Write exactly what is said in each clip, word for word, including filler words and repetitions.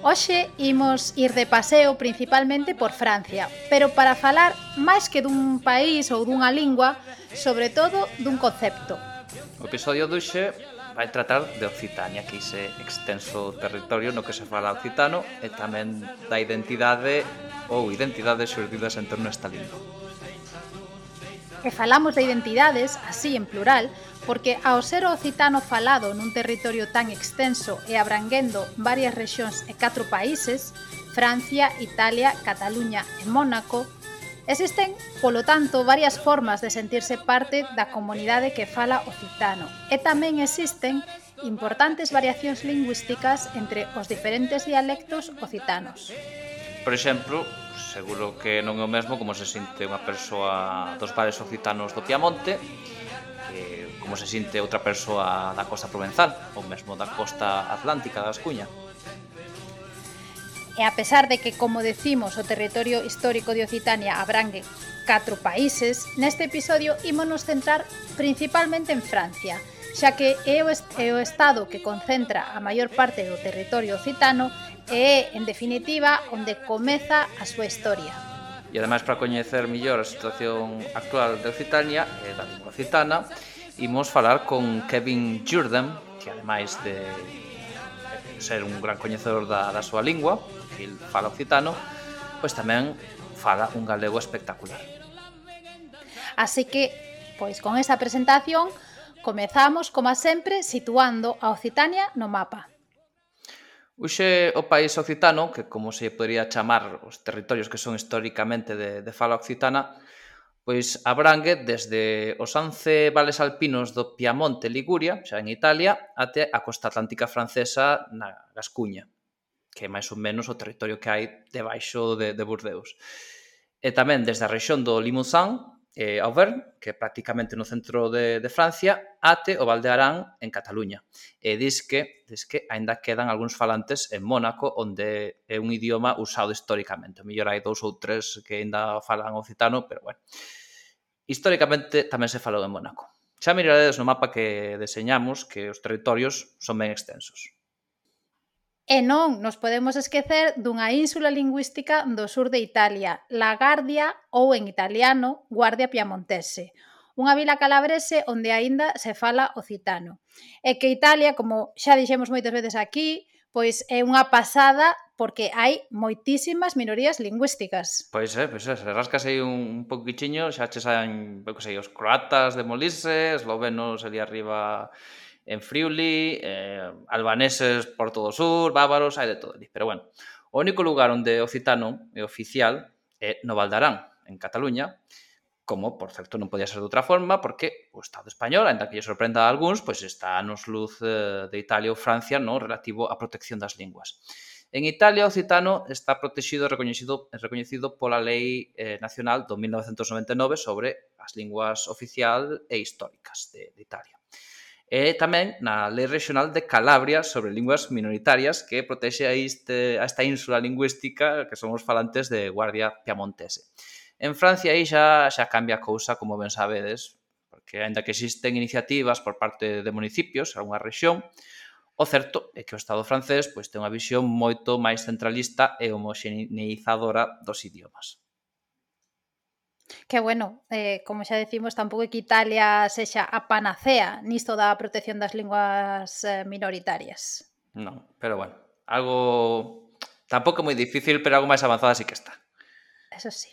Hoxe imos ir de paseo principalmente por Francia, pero para falar máis que dun país ou dunha lingua, sobre todo dun concepto. O episodio de hoxe vai tratar de Occitania, que ese extenso territorio no que se fala occitano e tamén da identidade ou identidades xurdidas en torno a esta lingua. E falamos de identidades, así en plural, porque ao ser o occitano falado nun territorio tan extenso e abranguendo varias rexións e catro países, Francia, Italia, Cataluña e Mónaco, existen, polo tanto, varias formas de sentirse parte da comunidade que fala occitano e tamén existen importantes variacións lingüísticas entre os diferentes dialectos occitanos. Por exemplo, seguro que non é o mesmo como se sinte unha persoa dos bares occitanos do Piamonte que como se sinte outra persoa da costa provenzal ou mesmo da costa atlántica da Ascuña. E a pesar de que, como decimos, o territorio histórico de Occitania abrangue catro países, neste episodio ímonos centrar principalmente en Francia, xa que é o, est é o estado que concentra a maior parte do territorio occitano e é, en definitiva, onde comeza a súa historia. E ademais, para coñecer mellor a situación actual de Occitania e da lingua occitana, imos falar con Kevin Jourdain, que ademais de ser un gran coñecedor da, da súa lingua, que ele fala occitano, pois tamén fala un galego espectacular. Así que, pois con esa presentación, comezamos, como sempre, situando a Occitania no mapa. Hoxe o país occitano, que como se podría chamar os territorios que son históricamente de, de fala occitana, pois abrangue desde os once vales alpinos do Piamonte, Liguria, xa en Italia, até a costa atlántica francesa na Gascuña, que é máis ou menos o territorio que hai debaixo de, de Burdeos. E tamén desde a rexión do Limousin, eh, Auvergne, que é prácticamente no centro de, de Francia, até o Val de Arán en Cataluña. E dis que, dis que aínda quedan algúns falantes en Mónaco, onde é un idioma usado históricamente. O mellor hai dous ou tres que aínda falan occitano, pero bueno. Históricamente tamén se falou en Mónaco. Xa miraredes no mapa que deseñamos que os territorios son ben extensos. E non nos podemos esquecer dunha ínsula lingüística do sur de Italia, La Guardia ou en italiano Guardia Piamontese, unha vila calabrese onde aínda se fala occitano. E que Italia, como xa dixemos moitas veces aquí, pois é unha pasada porque hai moitísimas minorías lingüísticas. Pois é, pois é, se rascas aí un poquichiño, xa che saen, eu que sei, os croatas de Molise, eslovenos ali arriba en Friuli, eh, albaneses por todo o sur, bávaros, hai de todo ali. Pero bueno, o único lugar onde o occitano é oficial é no Val de Arán, en Cataluña, como, por certo, non podía ser de outra forma, porque o Estado español, ainda que lle sorprenda a algúns, pois está nos luz eh, de Italia ou Francia, no relativo á protección das linguas. En Italia, o occitano está protegido e recoñecido, recoñecido pola Lei eh, Nacional do mil novecentos noventa e nove sobre as linguas oficial e históricas de, de Italia. E tamén na Lei Regional de Calabria sobre linguas minoritarias que protexe a, este, a esta ínsula lingüística que son os falantes de Guardia Piamontese. En Francia aí xa, xa cambia a cousa, como ben sabedes, porque aínda que existen iniciativas por parte de municipios, algunha rexión, o certo é que o Estado francés pois, ten unha visión moito máis centralista e homoxeneizadora dos idiomas. Que bueno, eh, como xa decimos, tampouco é que Italia sexa a panacea nisto da protección das linguas eh, minoritarias. Non, pero bueno, algo tampouco moi difícil, pero algo máis avanzada sí que está. Eso sí.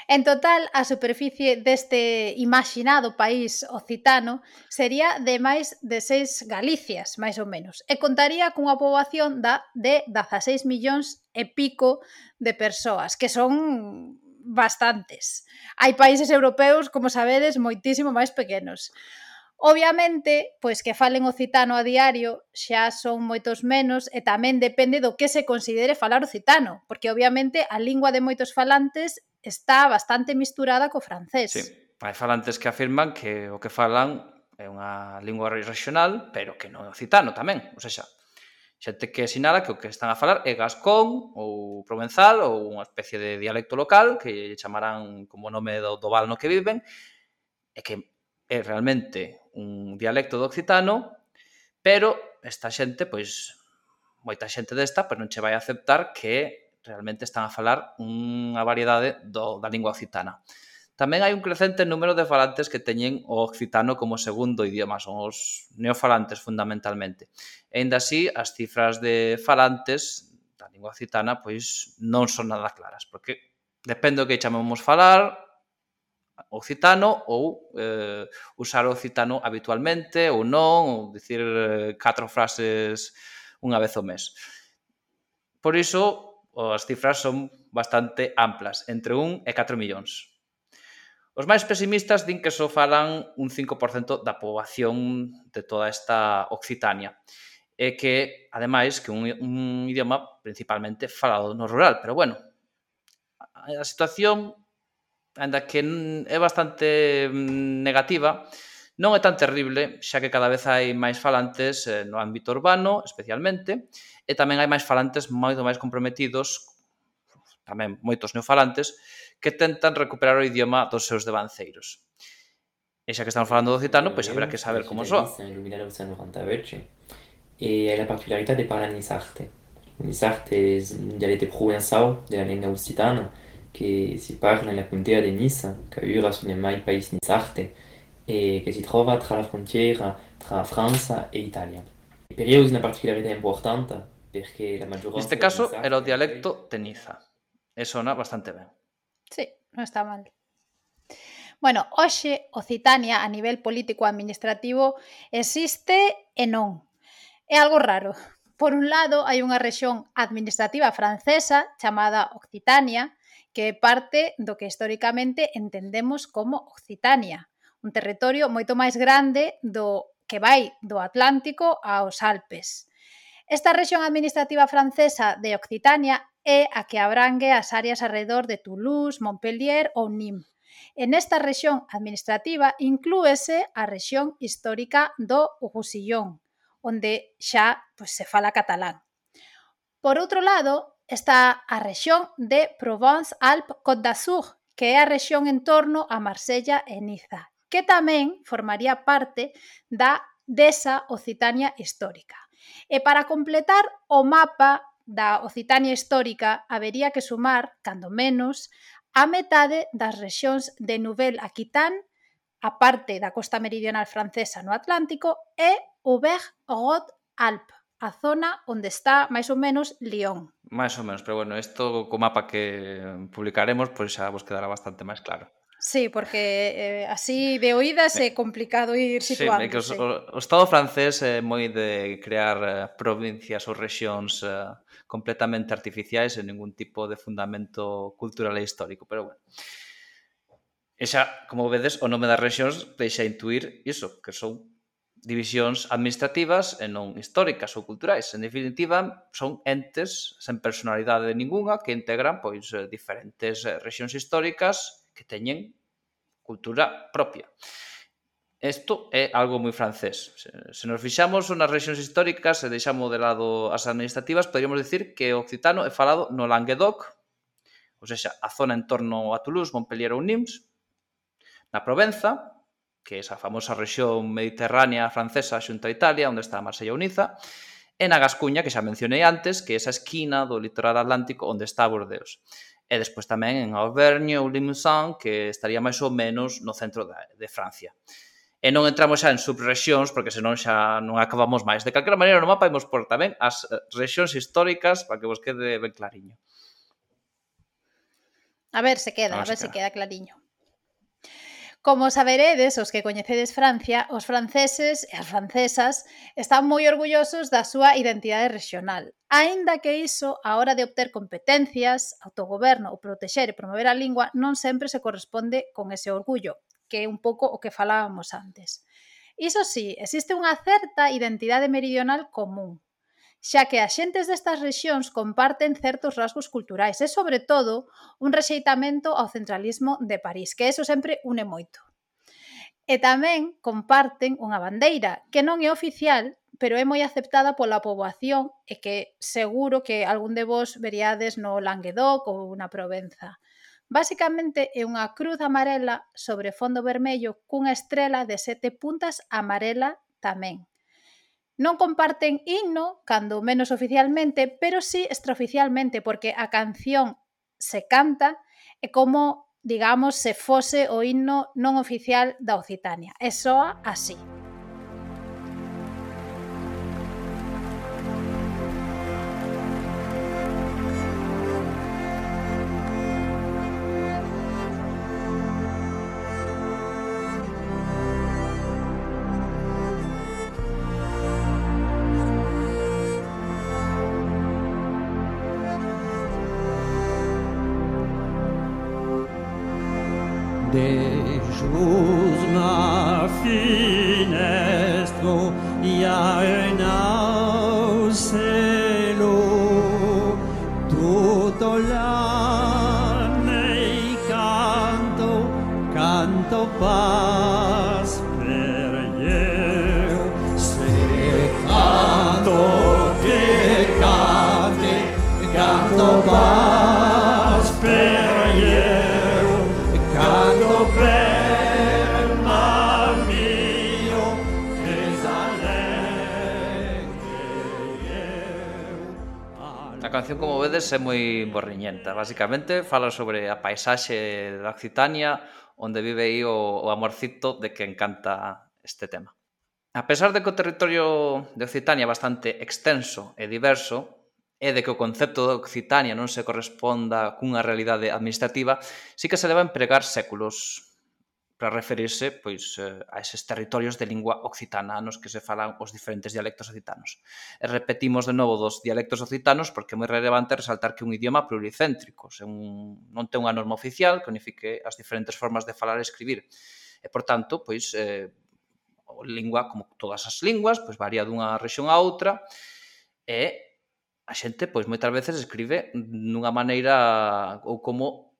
En total, a superficie deste imaginado país occitano sería de máis de seis Galicias, máis ou menos, e contaría cunha poboación da de dezaseis millóns e pico de persoas, que son bastantes. Hai países europeos, como sabedes, moitísimo máis pequenos. Obviamente, pois que falen occitano a diario xa son moitos menos e tamén depende do que se considere falar occitano, porque obviamente a lingua de moitos falantes está bastante misturada co francés. Sí, hai falantes que afirman que o que falan é unha lingua regional, pero que non é occitano tamén, ou seja, Xente que sinala que o que están a falar é gascón ou provenzal ou unha especie de dialecto local que chamarán como nome do, do val no que viven e que é realmente un dialecto do occitano, pero esta xente, pois, moita xente desta, pois non che vai a aceptar que realmente están a falar unha variedade do, da lingua occitana. Tamén hai un crecente número de falantes que teñen o occitano como segundo idioma, son os neofalantes fundamentalmente. E ainda así, as cifras de falantes da lingua occitana pois non son nada claras, porque depende do que chamemos falar, occitano ou eh, usar o occitano habitualmente ou non, ou dicir eh, catro frases unha vez ao mes. Por iso, as cifras son bastante amplas, entre un e catro millóns. Os máis pesimistas din que só falan un cinco por cento da poboación de toda esta Occitania e que, ademais, que un, un idioma principalmente falado no rural. Pero, bueno, a situación, ainda que é bastante negativa, non é tan terrible, xa que cada vez hai máis falantes no ámbito urbano, especialmente, e tamén hai máis falantes moito máis comprometidos, tamén moitos neofalantes, que tentan recuperar o idioma dos seus devanceiros. E xa que estamos falando do occitano, pois habrá que saber como soa. E è la particolarità di parlare in sarte. In sarte è un dialetto provenzale della lingua occitana che si parla nella contea di Nice, che ora sono mai paese di sarte, e che si trova tra la frontiera tra Francia e Italia. Per io è una particolarità importante perché la maggioranza... Neste caso era o dialecto de Niza. E sona bastante ben. Sí, non está mal. Bueno, hoxe Occitania a nivel político-administrativo existe e non. É algo raro. Por un lado, hai unha rexión administrativa francesa chamada Occitania, que é parte do que históricamente entendemos como Occitania, un territorio moito máis grande do que vai do Atlántico aos Alpes. Esta rexión administrativa francesa de Occitania é a que abrangue as áreas arredor de Toulouse, Montpellier ou Nîmes. En esta rexión administrativa inclúese a rexión histórica do Roussillon, onde xa pois, se fala catalán. Por outro lado, está a rexión de Provence-Alpes-Côte d'Azur, que é a rexión en torno a Marsella e Niza, que tamén formaría parte da desa Occitania histórica. E para completar o mapa da Occitania histórica, habería que sumar, cando menos, a metade das rexións de Nouvelle-Aquitaine, a parte da costa meridional francesa no Atlántico, e Auvergne-Rhône-Alpes, a zona onde está máis ou menos Lyon. Máis ou menos, pero bueno, isto co mapa que publicaremos, pois xa vos quedará bastante máis claro. Sí, porque eh, así de oídas é complicado ir situándose. Sí, é que o, o Estado francés é moi de crear uh, provincias ou rexións uh, completamente artificiais e ningún tipo de fundamento cultural e histórico, pero bueno. E xa, como vedes, o nome das rexións deixa intuir iso, que son divisións administrativas e non históricas ou culturais. En definitiva, son entes sen personalidade ninguna que integran pois diferentes rexións históricas que teñen cultura propia. Isto é algo moi francés. Se nos fixamos nas rexións históricas e deixamos de lado as administrativas, poderíamos dicir que o occitano é falado no Languedoc, ou seja, a zona en torno a Toulouse, Montpellier ou Nîmes, na Provenza, que é esa famosa rexión mediterránea francesa xunto a Italia, onde está Marsella ou Niza, e na Gascuña, que xa mencionei antes, que é esa esquina do litoral atlántico onde está Bordeaux. E despois tamén en Auvergne ou Limousin, que estaría máis ou menos no centro de Francia. E non entramos xa en subrexións, porque senón xa non acabamos máis. De calquera maneira, no mapa imos por tamén as rexións históricas para que vos quede ben clariño. A ver se queda, a ver se queda clariño. Como saberedes, os que coñecedes Francia, os franceses e as francesas están moi orgullosos da súa identidade regional, aínda que iso, a hora de obter competencias, autogoberno ou protexer e promover a lingua, non sempre se corresponde con ese orgullo, que é un pouco o que falábamos antes. Iso sí, existe unha certa identidade meridional común, xa que as xentes destas rexións comparten certos rasgos culturais e, sobre todo, un rexeitamento ao centralismo de París, que eso sempre une moito. E tamén comparten unha bandeira, que non é oficial, pero é moi aceptada pola poboación e que seguro que algún de vos veríades no Languedoc ou na Provenza. Basicamente é unha cruz amarela sobre fondo vermello cunha estrela de sete puntas amarela tamén. Non comparten himno, cando menos oficialmente, pero sí extraoficialmente, porque a canción se canta e como, digamos, se fose o himno non oficial da Occitania. E soa así. Dejos na finestro ja en au cielo tutto l'anno canto canto paz per io se canto che cante canto paz per io canto per mal mio che A canción, como vedes, é moi borriñenta. Basicamente, fala sobre a paisaxe da Occitania, onde vive aí o, o amorcito de quen canta este tema. A pesar de que o territorio de Occitania é bastante extenso e diverso, e de que o concepto de Occitania non se corresponda cunha realidade administrativa, sí que se leva a empregar séculos para referirse pois, a eses territorios de lingua occitana nos que se falan os diferentes dialectos occitanos. E repetimos de novo dos dialectos occitanos porque é moi relevante resaltar que é un idioma pluricéntrico, un, non ten unha norma oficial que unifique as diferentes formas de falar e escribir. E, por tanto, pois, eh, a lingua, como todas as linguas, pois varía dunha rexión a outra e a xente, pois, moitas veces escribe nunha maneira ou como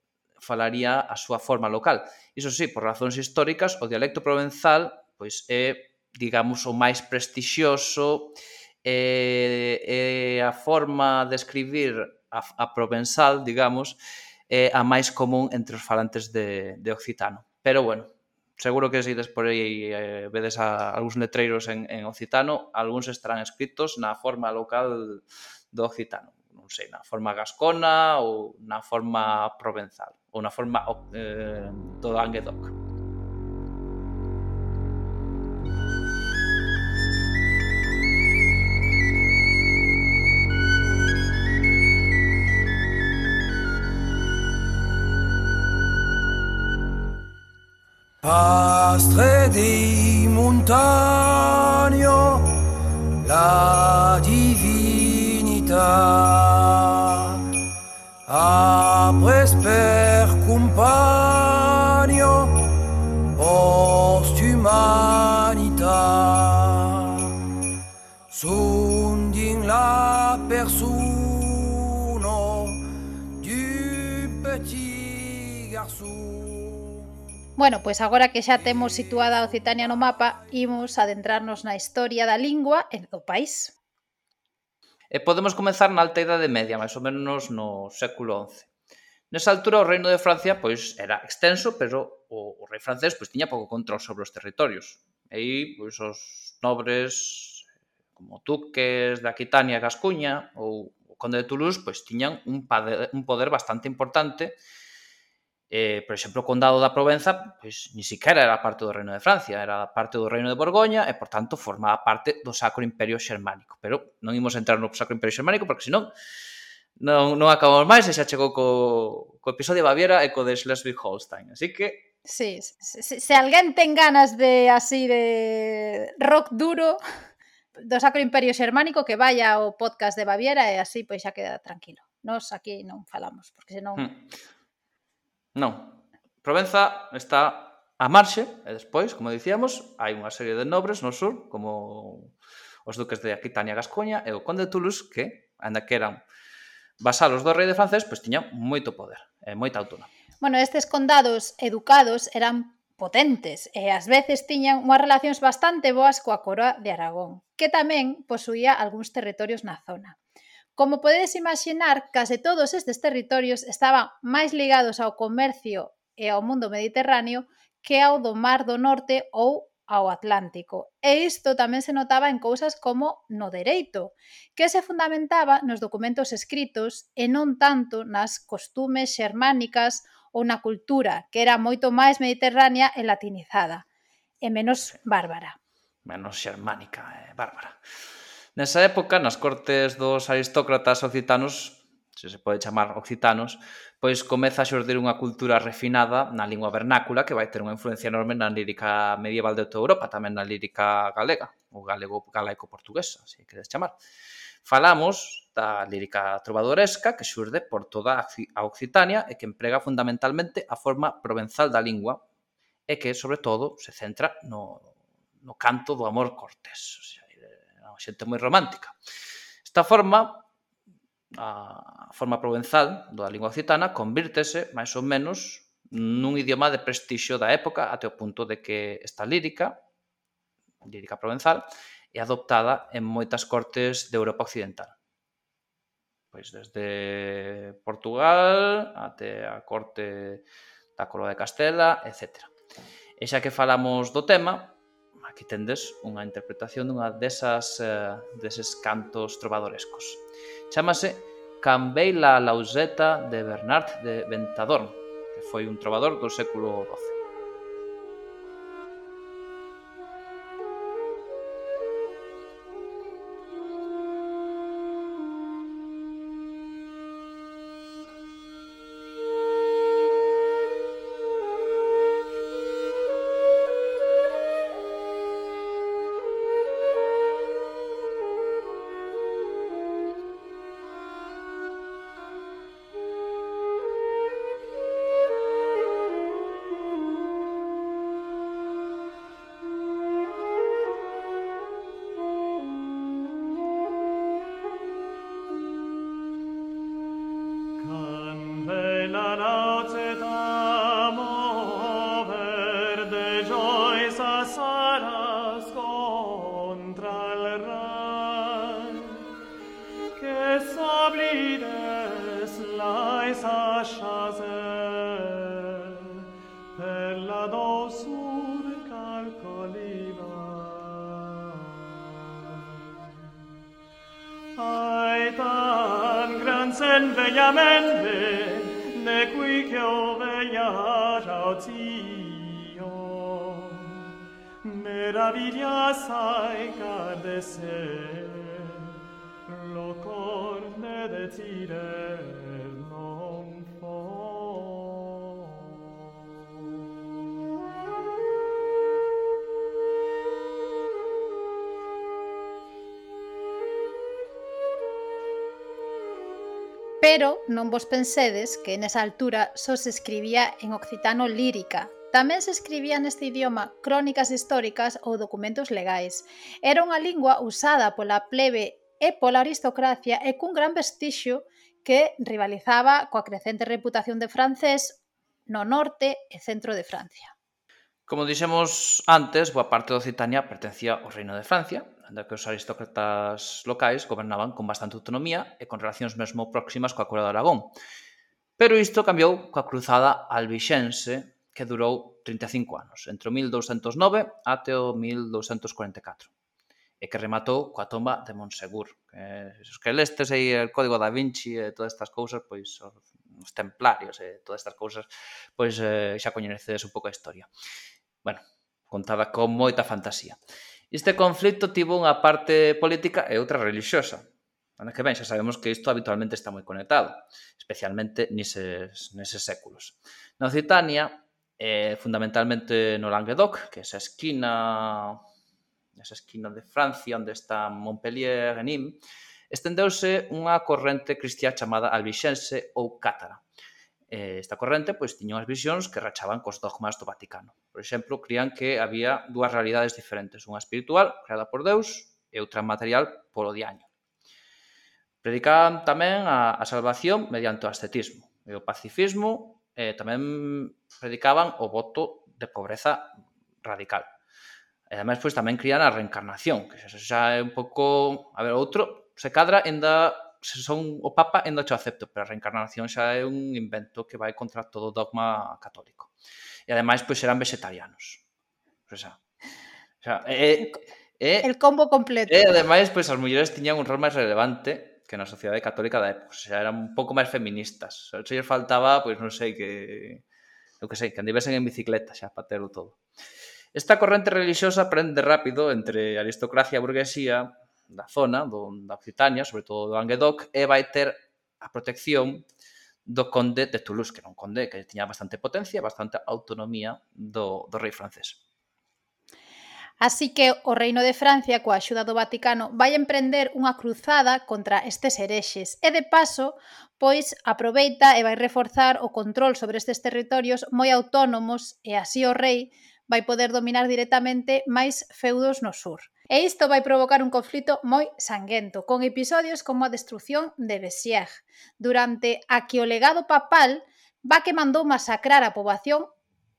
falaría a súa forma local. Iso sí, por razóns históricas, o dialecto provenzal pois é, digamos, o máis prestixioso e, e a forma de escribir a, a provenzal, digamos, é a máis común entre os falantes de, de occitano. Pero, bueno, seguro que se ides por aí eh, vedes a algúns letreiros en, en occitano, algúns estarán escritos na forma local do occitano, non sei, na forma gascona ou na forma provenzal, ou na forma eh, do Languedoc. Pastre di montagno, la divinità, apres per compagno, post-humanità, sunt din la persona du petit garçon. Bueno, pois agora que xa temos situada a Occitania no mapa, imos adentrarnos na historia da lingua e do país. E podemos comezar na Alta Idade Media, máis ou menos no século once. Nesa altura o reino de Francia pois era extenso, pero o, o rei francés pois tiña pouco control sobre os territorios. E aí pois os nobres como duques de Aquitania e Gascuña ou o conde de Toulouse pois tiñan un poder, un poder bastante importante. Eh, por exemplo, o condado da Provenza pois ni siquiera era parte do reino de Francia, era parte do reino de Borgoña e, por tanto, formaba parte do Sacro Imperio Xermánico. Pero non imos entrar no Sacro Imperio Xermánico porque, senón, non, non acabamos máis e xa chegou co, co episodio de Baviera e co de Schleswig-Holstein. Así que... Sí, se, se, se alguén ten ganas de, así, de rock duro do Sacro Imperio Xermánico, que vaya ao podcast de Baviera e así, pois xa queda tranquilo. Nos aquí non falamos, porque senón... Hmm. Non. Provenza está a marxe e despois, como dicíamos, hai unha serie de nobres no sur, como os duques de Aquitania e Gascoña e o conde de Toulouse, que, anda que eran vasalos do rei de francés, pois tiñan moito poder e moita autonomía. Bueno, estes condados educados eran potentes e ás veces tiñan unhas relacións bastante boas coa coroa de Aragón, que tamén posuía algúns territorios na zona. Como podedes imaxinar, case todos estes territorios estaban máis ligados ao comercio e ao mundo mediterráneo que ao do Mar do Norte ou ao Atlántico. E isto tamén se notaba en cousas como no dereito, que se fundamentaba nos documentos escritos e non tanto nas costumes xermánicas ou na cultura, que era moito máis mediterránea e latinizada, e menos bárbara. Menos xermánica e bárbara. Nesa época, nas cortes dos aristócratas occitanos, se se pode chamar occitanos, pois comeza a xurdir unha cultura refinada na lingua vernácula que vai ter unha influencia enorme na lírica medieval de toda Europa, tamén na lírica galega, ou galego galaico-portuguesa, se queres chamar. Falamos da lírica trovadoresca que xurde por toda a Occitania e que emprega fundamentalmente a forma provenzal da lingua e que, sobre todo, se centra no, no canto do amor cortés. O sea, é unha xente moi romántica. Esta forma, a forma provenzal da lingua occitana, convírtese, máis ou menos, nun idioma de prestixio da época até o punto de que esta lírica, lírica provenzal, é adoptada en moitas cortes de Europa occidental. Pois desde Portugal até a corte da Coroa de Castela, etcétera. E xa que falamos do tema, aquí tendes unha interpretación dunha desas, uh, deses cantos trovadorescos. Chámase Cambei la Lauseta de Bernard de Ventadorn, que foi un trovador do século doce. Pero non vos pensedes que nesa altura só se escribía en occitano lírica. Tamén se escribía neste idioma crónicas históricas ou documentos legais. Era unha lingua usada pola plebe e pola aristocracia e cun gran vestixio que rivalizaba coa crecente reputación de francés no norte e centro de Francia. Como dixemos antes, boa parte de Occitania pertencía ao Reino de Francia, onde que os aristócratas locais gobernaban con bastante autonomía e con relacións mesmo próximas coa Coroa de Aragón. Pero isto cambiou coa cruzada albixense, que durou trinta e cinco anos, entre o mil douscentos nove até o mil douscentos cuarenta e catro, e que rematou coa tomba de Monsegur. Que, os que lestes aí el Código da Vinci e todas estas cousas, pois os templarios e todas estas cousas, pois eh, xa coñecedes un pouco a historia. Bueno, contada con moita fantasía. Este conflito tivo unha parte política e outra religiosa. Anda que ben, xa sabemos que isto habitualmente está moi conectado, especialmente neses, neses séculos. Na Occitania, eh, fundamentalmente no Languedoc, que é esa esquina, esa esquina de Francia onde está Montpellier e Nîmes, estendeuse unha corrente cristiá chamada albixense ou cátara. Esta corrente pois tiña unhas visións que rachaban cos dogmas do Vaticano. Por exemplo, crían que había dúas realidades diferentes, unha espiritual, creada por Deus, e outra material polo diaño. Predicaban tamén a, a salvación mediante o ascetismo e o pacifismo, e tamén predicaban o voto de pobreza radical. E ademais, pois, tamén crían a reencarnación, que xa é un pouco... A ver, outro, se cadra, ainda, se son o Papa, ainda cho acepto, pero a reencarnación xa é un invento que vai contra todo o dogma católico. E ademais, pois, eran vegetarianos. O sea, o sea, é... é El combo completo. e ademais, pois, as mulleres tiñan un rol máis relevante que na sociedade católica da época. O sea, eran un pouco máis feministas. Se lles faltaba, pois, non sei, que... Eu que sei, que andivesen en bicicleta xa para terlo todo. Esta corrente religiosa prende rápido entre a aristocracia e a burguesía da zona, do, da Occitania, sobre todo do Languedoc, e vai ter a protección do conde de Toulouse, que era un conde que tiña bastante potencia e bastante autonomía do, do rei francés. Así que o Reino de Francia, coa axuda do Vaticano, vai emprender unha cruzada contra estes herexes e, de paso, pois aproveita e vai reforzar o control sobre estes territorios moi autónomos e así o rei vai poder dominar directamente máis feudos no sur. E isto vai provocar un conflito moi sanguento, con episodios como a destrucción de Bessières, durante a que o legado papal va que mandou masacrar a poboación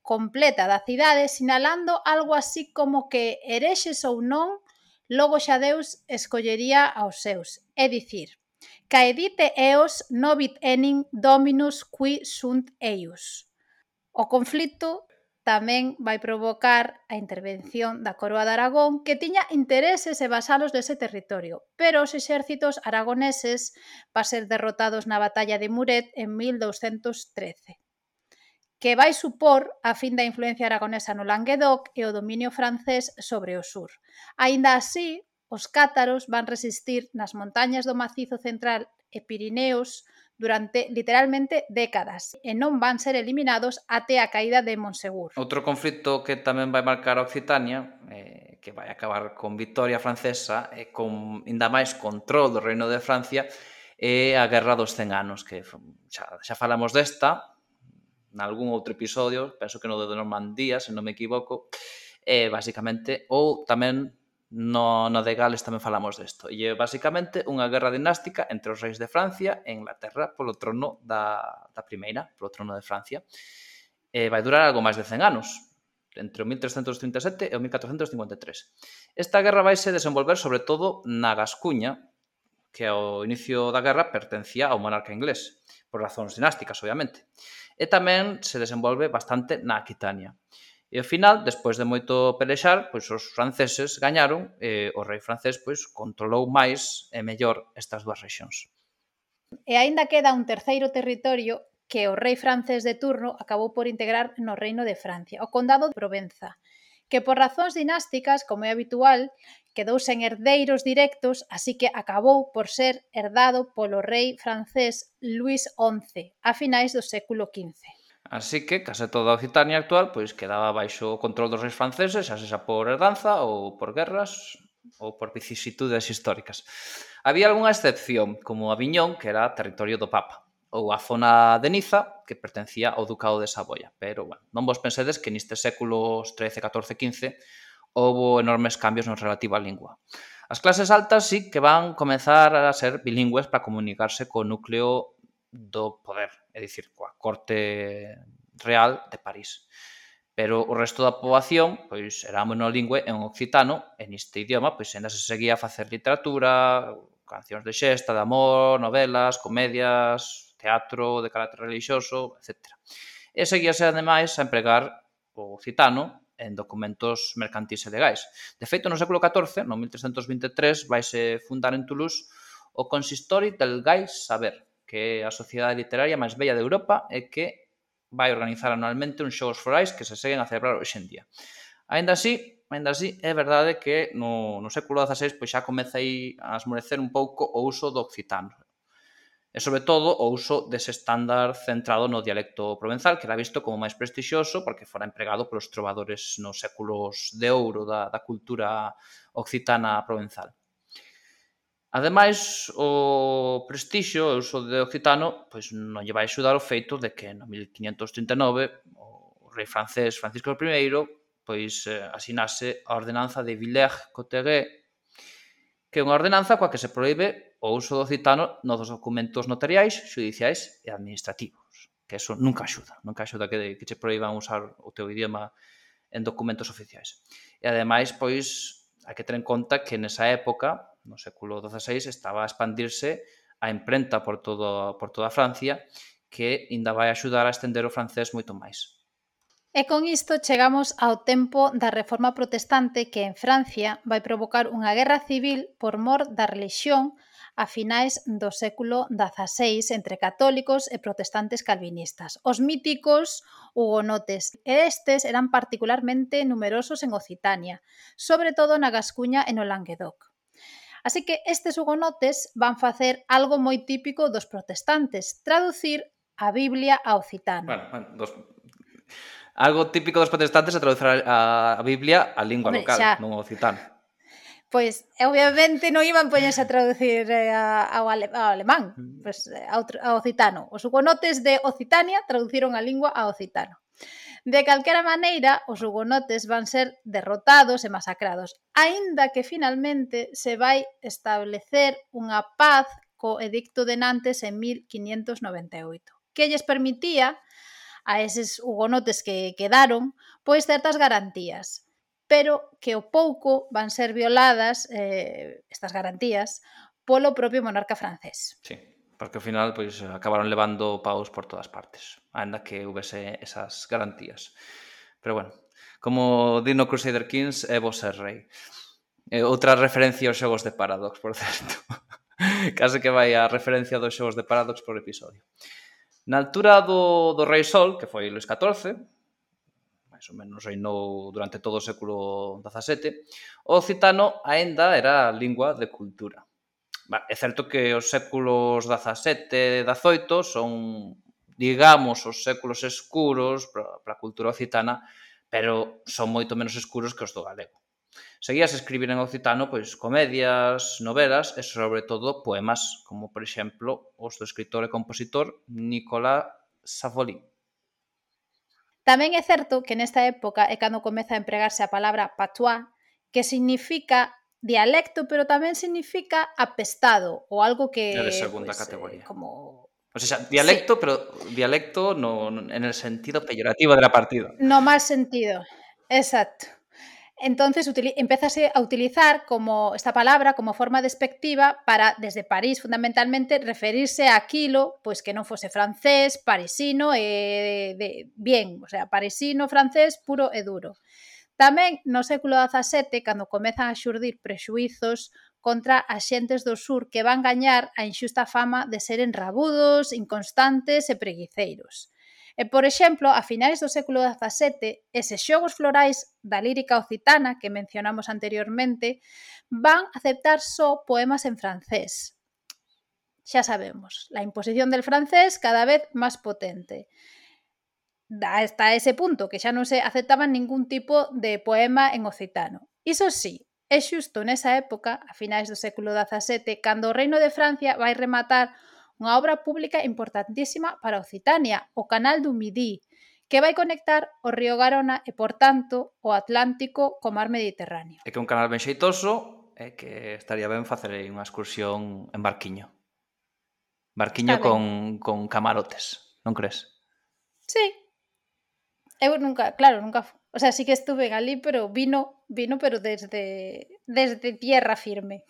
completa da cidade, sinalando algo así como que herexes ou non, logo xa Deus escollería aos seus. É dicir, caedite eos novit enim dominus qui sunt eius. O conflito tamén vai provocar a intervención da Coroa de Aragón, que tiña intereses e vasalos dese territorio, pero os exércitos aragoneses van ser derrotados na batalla de Muret en mil douscentos trece, que vai supor a fin da influencia aragonesa no Languedoc e o dominio francés sobre o sur. Aínda así, os cátaros van resistir nas montañas do Macizo Central e Pirineos durante literalmente décadas e non van ser eliminados até a caída de Monsegur. Outro conflito que tamén vai marcar a Occitania, eh, que vai acabar con victoria francesa e con ainda máis control do Reino de Francia, é a Guerra dos Cen Anos, que xa, xa falamos desta nalgún outro episodio, penso que no de Normandía, se non me equivoco, e basicamente, ou tamén no, no de Gales tamén falamos desto. E é basicamente unha guerra dinástica entre os reis de Francia e Inglaterra polo trono da, da primeira, polo trono de Francia. E vai durar algo máis de cen anos, entre o mil trescentos trinta e sete e o mil catrocentos cincuenta e tres. Esta guerra vai se desenvolver sobre todo na Gascuña, que ao inicio da guerra pertencía ao monarca inglés, por razóns dinásticas, obviamente. E tamén se desenvolve bastante na Aquitania. E ao final, despois de moito pelexar, pois os franceses gañaron e o rei francés pois controlou máis e mellor estas dúas rexións. E aínda queda un terceiro territorio que o rei francés de turno acabou por integrar no Reino de Francia, o Condado de Provenza, que por razóns dinásticas, como é habitual, quedou sen herdeiros directos, así que acabou por ser herdado polo rei francés Luís once a finais do século quince. Así que case toda a Occitania actual pois quedaba baixo o control dos reis franceses, xa sexa por herdanza ou por guerras ou por vicisitudes históricas. Había algunha excepción, como Aviñón, que era territorio do Papa, ou a zona de Niza, que pertencía ao Ducado de Saboia. Pero, bueno, non vos pensedes que nestes séculos trece, catorce, quince houbo enormes cambios no relativo á lingua. As clases altas sí que van comezar a ser bilingües para comunicarse co núcleo do poder, é dicir, coa corte real de París. Pero o resto da poboación pois era monolingüe en occitano, e neste idioma pois ainda se seguía a facer literatura, cancións de xesta, de amor, novelas, comedias, teatro de carácter religioso, etcétera. E seguíase, ademais, a empregar o occitano en documentos mercantís e legais. De feito, no século catorce, no mil trescentos vinte e tres, vaise fundar en Toulouse o Consistori del Gais Saber, que é a sociedade literaria máis bella de Europa e que vai organizar anualmente uns xogos forais que se seguen a celebrar hoxe en día. Aínda así, aínda así, é verdade que no, no século dezaseis pois xa comeza aí a esmorecer un pouco o uso do occitano. E, sobre todo, o uso dese estándar centrado no dialecto provenzal, que era visto como máis prestixioso porque fora empregado polos trovadores nos séculos de ouro da, da cultura occitana provenzal. Ademais, o prestixio e o uso de occitano pois non lle vai axudar o feito de que no mil quinhentos trinta e nove o rei francés Francisco I pois eh, asinase a ordenanza de Villers-Cotterêts, que é unha ordenanza coa que se proíbe o uso do occitano nos documentos notariais, xudiciais e administrativos. que eso nunca axuda, nunca axuda que, que che proíban usar o teu idioma en documentos oficiais. E ademais, pois, hai que ter en conta que nesa época, no século dieciséis, estaba a expandirse a imprenta por, todo, por toda Francia, que ainda vai axudar a estender o francés moito máis. E con isto chegamos ao tempo da Reforma Protestante que en Francia vai provocar unha guerra civil por mor da relixión a finais do século dieciséis entre católicos e protestantes calvinistas, os míticos hugonotes. E estes eran particularmente numerosos en Occitania, sobre todo na Gascuña e no Languedoc. Así que estes hugonotes van facer algo moi típico dos protestantes, traducir a Biblia a occitano. Bueno, bueno, dos... Algo típico dos protestantes é traducir a, a Biblia á lingua Hombre, local, xa. non ao occitano. Pois, obviamente, non iban poñerse a traducir eh, ao, ale, ao alemán, pois, ao, ao occitano. Os hugonotes de Occitania traduciron a lingua ao occitano. De calquera maneira, os hugonotes van ser derrotados e masacrados, aínda que finalmente se vai establecer unha paz co Edicto de Nantes en mil quinhentos noventa e oito, que lles permitía a eses hugonotes que quedaron, pois certas garantías, pero que ao pouco van ser violadas eh, estas garantías polo propio monarca francés. Sí, porque ao final pois acabaron levando paus por todas partes, ainda que houvese esas garantías. Pero bueno, como di no Crusader Kings, é vos ser rei. E outra referencia aos xogos de Paradox, por certo. Case que vai a referencia dos xogos de Paradox por episodio. Na altura do, do Rei Sol, que foi Luís catorce, máis ou menos reinou durante todo o século dezasete, o occitano aínda era lingua de cultura. É certo que os séculos dezasete e dezaoito son, digamos, os séculos escuros para a cultura occitana, pero son moito menos escuros que os do galego. Seguías a escribir en occitano pois comedias, novelas e sobre todo poemas, como por exemplo os do escritor e compositor Nicolas Savolí. Tamén é certo que nesta época é cando comeza a empregarse a palabra patois, que significa dialecto, pero tamén significa apestado, ou algo que... É de segunda pues, categoría. Eh, como... O sea, dialecto, sí. Pero dialecto no, no, en el sentido peyorativo de la partida. No mal sentido, exacto. Entonces empezase a utilizar como esta palabra como forma despectiva para, desde París, fundamentalmente, referirse a aquilo pois que non fose francés, parisino e de, bien, o sea, parisino, francés, puro e duro. Tamén no século dezasete, cando comezan a xurdir prexuizos contra as xentes do sur que van gañar a inxusta fama de seren rabudos, inconstantes e preguiceiros. E, por exemplo, a finais do século dezasete, eses xogos florais da lírica occitana que mencionamos anteriormente van aceptar só poemas en francés. Xa sabemos, la imposición del francés cada vez máis potente. Hasta ese punto que xa non se aceptaban ningún tipo de poema en occitano. Iso sí, é xusto nesa época, a finais do século dezasete, cando o Reino de Francia vai rematar unha obra pública importantísima para Occitania, o Canal do Midi, que vai conectar o río Garona e, por tanto, o Atlántico co mar Mediterráneo. É que un canal ben xeitoso é que estaría ben facer unha excursión en barquiño. Barquiño con, con camarotes, non crees? Sí. Eu nunca, claro, nunca... O sea, sí que estuve en Galí, pero vino, vino pero desde, desde tierra firme.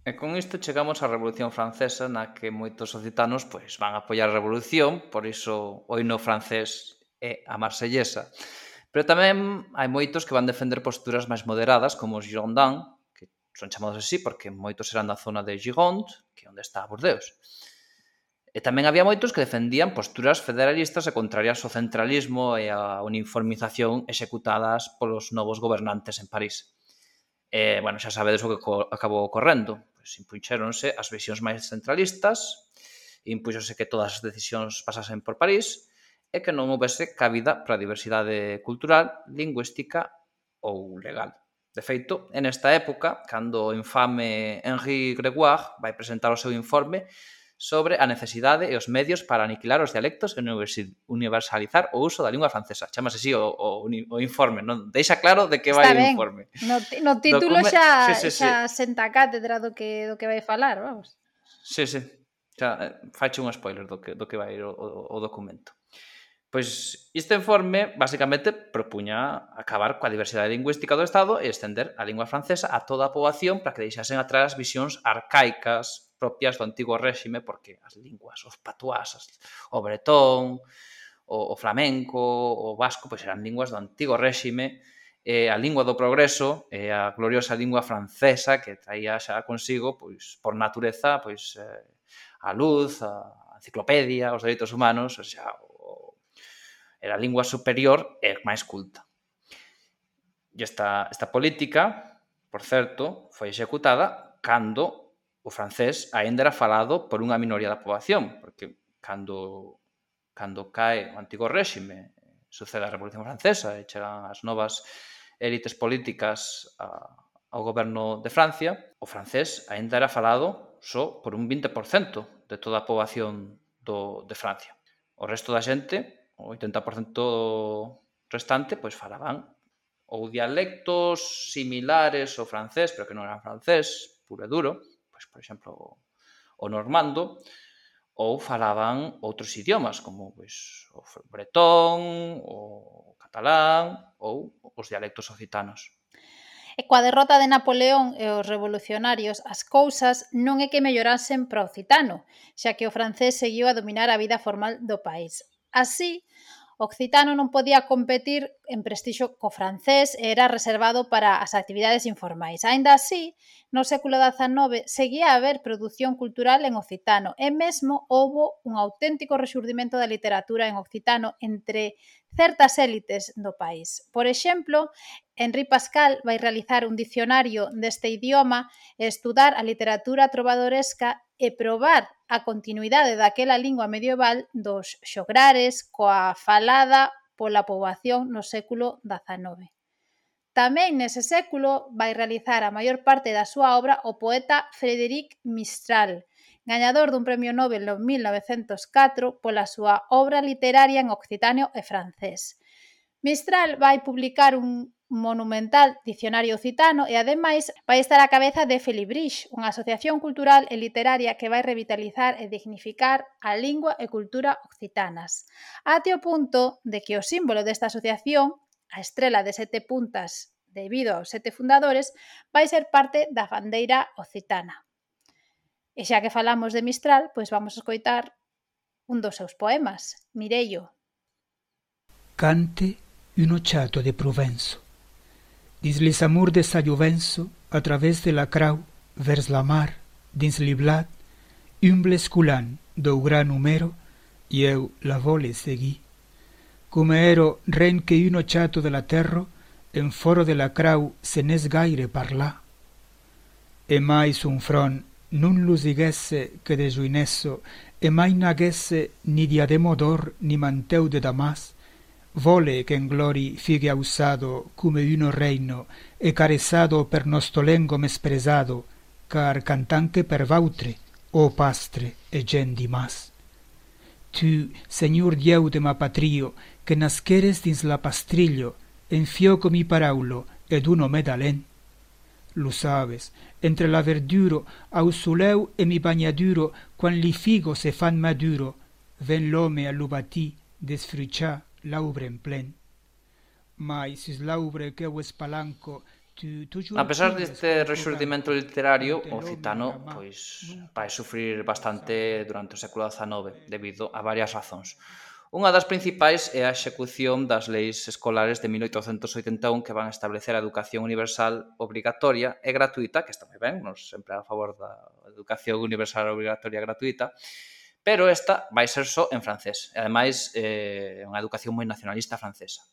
E con isto chegamos á Revolución Francesa, na que moitos occitanos pois, van a apoiar a Revolución, por iso o himno francés é a marsellesa. Pero tamén hai moitos que van defender posturas máis moderadas, como os Girondins, que son chamados así porque moitos eran da zona de Gironde, que é onde está Bordeaux. E tamén había moitos que defendían posturas federalistas e contrarias ao centralismo e a uniformización executadas polos novos gobernantes en París. E, bueno, xa sabedes o que acabou ocorrendo. Pois impuxéronse as visións máis centralistas, impuxose que todas as decisións pasasen por París e que non houvese cabida para a diversidade cultural, lingüística ou legal. De feito, en esta época, cando o infame Henri Grégoire vai presentar o seu informe sobre a necesidade e os medios para aniquilar os dialectos e universalizar o uso da lingua francesa. Chámase así o, o, o informe, non? Deixa claro de que vai o informe. No, no título Document... xa, sí, sí, xa sí. senta cátedra do que, do que vai falar, vamos. Sí, sí. Xa, faiche un spoiler do que, do que vai ir o, o, o documento. Pois este informe basicamente propuña acabar coa diversidade lingüística do Estado e estender a lingua francesa a toda a poboación para que deixasen atrás as visións arcaicas propias do antigo réxime, porque as linguas, os patuás, o bretón, o, o flamenco, o vasco, pois eran linguas do antigo réxime, e a lingua do progreso e a gloriosa lingua francesa que traía xa consigo, pois por natureza, pois eh, a luz, a enciclopedia, os dereitos humanos, o sea, era a lingua superior e máis culta. E esta, esta política, por certo, foi executada cando o francés aínda era falado por unha minoría da poboación, porque cando, cando cae o antigo réxime, sucede a Revolución Francesa e chegan as novas élites políticas a, ao goberno de Francia, o francés aínda era falado só por un vinte por cento de toda a poboación do, de Francia. O resto da xente, o oitenta por cento restante, pois falaban ou dialectos similares ao francés, pero que non eran francés, puro e duro, pois, por exemplo, o normando, ou falaban outros idiomas, como pois, o bretón, o catalán, ou os dialectos occitanos. E coa derrota de Napoleón e os revolucionarios, as cousas non é que mellorasen para o occitano, xa que o francés seguiu a dominar a vida formal do país. Así, o occitano non podía competir en prestixio co francés e era reservado para as actividades informais. Aínda así, no século dezanove seguía a haber produción cultural en occitano e mesmo houbo un auténtico rexurdimento da literatura en occitano entre certas élites do país. Por exemplo, Henri Pascal vai realizar un dicionario deste idioma e estudar a literatura trovadoresca e probar a continuidade daquela lingua medieval dos xograres coa falada pola poboación no século dezanove. Tamén nese século vai realizar a maior parte da súa obra o poeta Frédéric Mistral, gañador dun premio Nobel no mil novecentos catro pola súa obra literaria en occitano e francés. Mistral vai publicar un monumental dicionario occitano e, ademais, vai estar á cabeza de Felibrix, unha asociación cultural e literaria que vai revitalizar e dignificar a lingua e cultura occitanas, até o punto de que o símbolo desta asociación, a estrela de sete puntas debido aos sete fundadores, vai ser parte da bandeira occitana. E xa que falamos de Mistral, pois vamos a escoitar un dos seus poemas, Mireio. Cante un chato de Provenço. Dins les amors de sa Llovenço, a través de la crau, vers la mar, dins l'iblat, un blesculant d'au gran numero, i eu la vole seguir. Com ero ren que un chato de la terra, en foro de la crau se n'és gaire parlar. E mai son front non lo diguesse que de juinesso, e mai n'aguesse ni diademo d'or ni manteu de damas, vole che in glori figue ausado come uno reino e carezado per nostro lengo mespresado, car cantanche per vautre, o pastre e gen di mas. Tu, Señor Dieu de ma patrio, que nasqueres dins la pastrillo, en fioco mi paraulo ed uno medalén. Lo sabes, entre la verduro, au soleu e mi bagnaduro, quan li figo se fan maduro, ven l'home a l'ubatí desfruchar l'aubre en plen. Mai sis l'aubre que eu espalanco, tu, tu a pesar deste rexurdimento literario, o occitano pois vai sufrir bastante durante o século dezanove debido a varias razóns. Unha das principais é a execución das leis escolares de mil oitocentos oitenta e un que van establecer a educación universal obrigatoria e gratuita, que está moi ben, nos sempre a favor da educación universal obrigatoria e gratuita, pero esta vai ser só en francés. E, ademais, é eh, unha educación moi nacionalista francesa.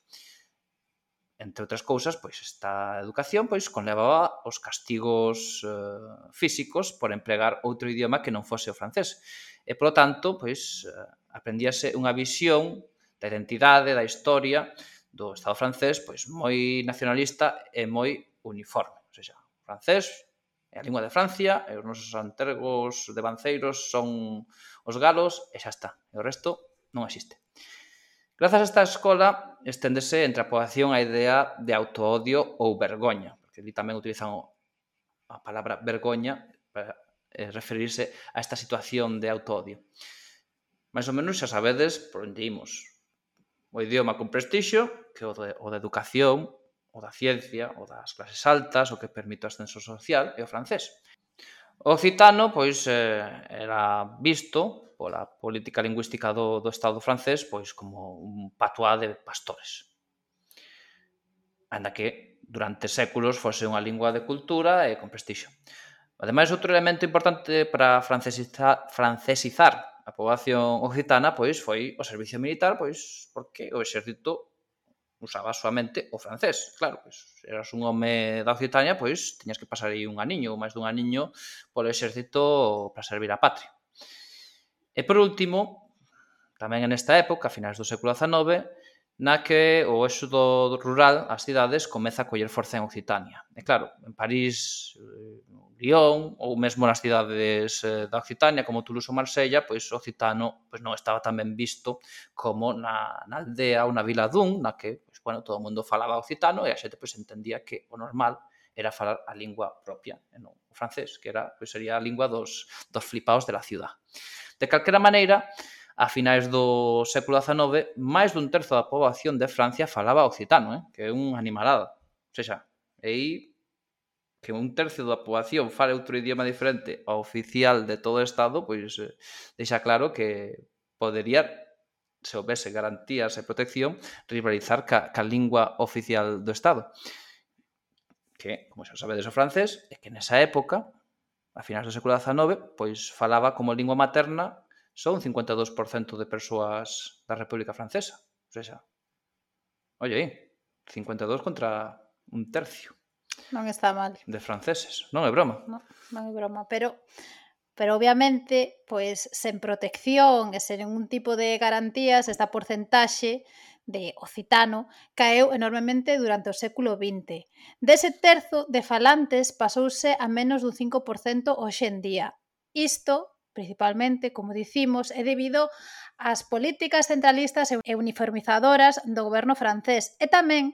Entre outras cousas, pois, esta educación pois, conlevaba os castigos eh, físicos por empregar outro idioma que non fose o francés. E, polo tanto, pois, eh, aprendíase unha visión da identidade, da historia do Estado francés pois moi nacionalista e moi uniforme. O sea, o francés é a lingua de Francia e os nosos antergos devanceiros son os galos e xa está. E o resto non existe. Grazas a esta escola esténdese entre a poboación a idea de autoodio ou vergoña, porque ali tamén utilizan a palabra vergoña para eh, referirse a esta situación de autoodio. Mais ou menos xa sabedes por onde imos. O idioma con prestixio, que o de, o de educación, o da ciencia, o das clases altas, o que permite o ascenso social, é o francés. O occitano, pois, eh, era visto pola política lingüística do, do Estado francés pois como un patuá de pastores. Ainda que durante séculos fose unha lingua de cultura e con prestixio. Ademais, outro elemento importante para francesizar, francesizar a poboación occitana pois foi o servicio militar, pois porque o exército usaba soamente o francés. Claro, pois, eras un home da Occitania, pois tiñas que pasar aí un aniño ou máis dun aniño polo exército para servir a patria. E por último, tamén nesta época, a finais do século dezanove, na que o éxodo rural ás cidades comeza a coller forza en Occitania. E claro, en París, Lyon ou mesmo nas cidades da Occitania como Toulouse ou Marsella, pois o occitano pois non estaba tan ben visto como na, na aldea ou na vila dun, na que pois, bueno, todo o mundo falaba occitano e a xente pois, entendía que o normal era falar a lingua propia, e non o francés, que era, pois, sería a lingua dos, dos flipaos de la ciudad. De calquera maneira, a finais do século dezanove, máis dun terzo da poboación de Francia falaba occitano, eh? Que é unha animalada. O seja, aí que un tercio da poboación fale outro idioma diferente ao oficial de todo o Estado, pois eh, deixa claro que podería, se houvese garantías e protección, rivalizar ca, ca lingua oficial do Estado. Que, como xa sabedes o francés, é que nesa época, a finais do século dezanove, pois falaba como lingua materna só un cincuenta e dous por cento de persoas da República Francesa. O sea, oye aí, cincuenta e dous contra un tercio. Non está mal. De franceses, non é broma. Non, non é broma, pero pero obviamente, pois sen protección e sen ningún tipo de garantías, esta porcentaxe de occitano caeu enormemente durante o século vinte. Dese terzo de falantes pasouse a menos dun cinco por cento hoxe en día. Isto, principalmente, como dicimos, é debido ás políticas centralistas e uniformizadoras do goberno francés e tamén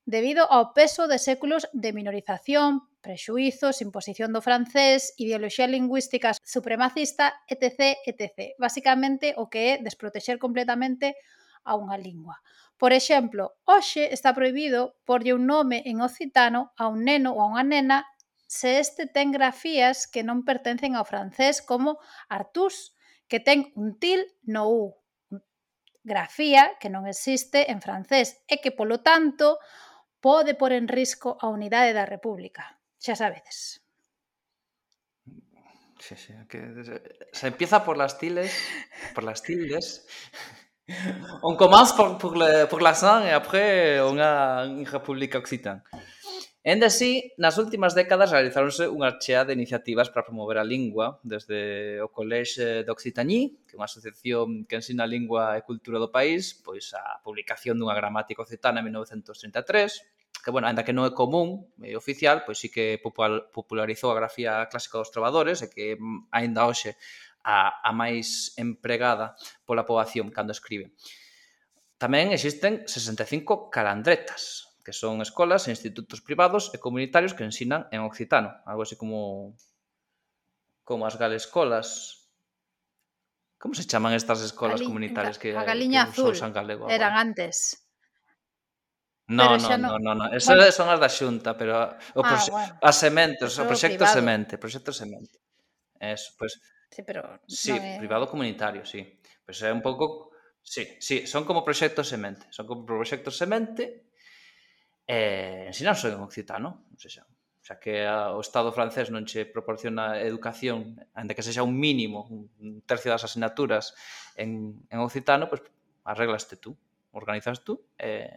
debido ao peso de séculos de minorización, prexuizos, imposición do francés, ideoloxía lingüística supremacista, etcétera, etcétera. Basicamente, o que é desprotexer completamente a unha lingua. Por exemplo, hoxe está prohibido porlle un nome en occitano a un neno ou a unha nena se este ten grafías que non pertencen ao francés, como Artús, que ten un til no U. Grafía que non existe en francés e que, polo tanto, pode pôr en risco a unidade da República. Xa sabedes. Sí, sí, que se empieza por las tildes, por las tildes. On commence por, por, le, por l'accent e après unha república occitana. Ende así, nas últimas décadas realizáronse unha chea de iniciativas para promover a lingua, desde o Collège d'Occitanie, que é unha asociación que ensina a lingua e cultura do país, pois a publicación dunha gramática occitana en mil novecentos trinta e tres, que, bueno, ainda que non é común e oficial, pois sí que popularizou a grafía clásica dos trovadores e que aínda hoxe a, a máis empregada pola poboación cando escribe. Tamén existen sesenta e cinco calandretas, que son escolas e institutos privados e comunitarios que ensinan en occitano, algo así como como as galescolas. Como se chaman estas escolas Gali, comunitarias que, a Galiña que Azul usan galego eran agora? antes. No, Pero no, no, no, no, no. Esas bueno. Son as da Xunta, pero o ah, proxe... bueno. as sementes, o proxecto privado. semente, proxecto semente. Eso, pues sí, pero sí, no é... privado comunitario, sí. Pues é un pouco sí, sí, son como proxectos semente, son como proxectos semente. Eh, ensinanse en occitano, non sei xa. O sea, que a, o Estado francés non che proporciona educación, ainda que sexa un mínimo, un tercio das asignaturas en, en occitano, pues arreglaste tú, organizas tú e,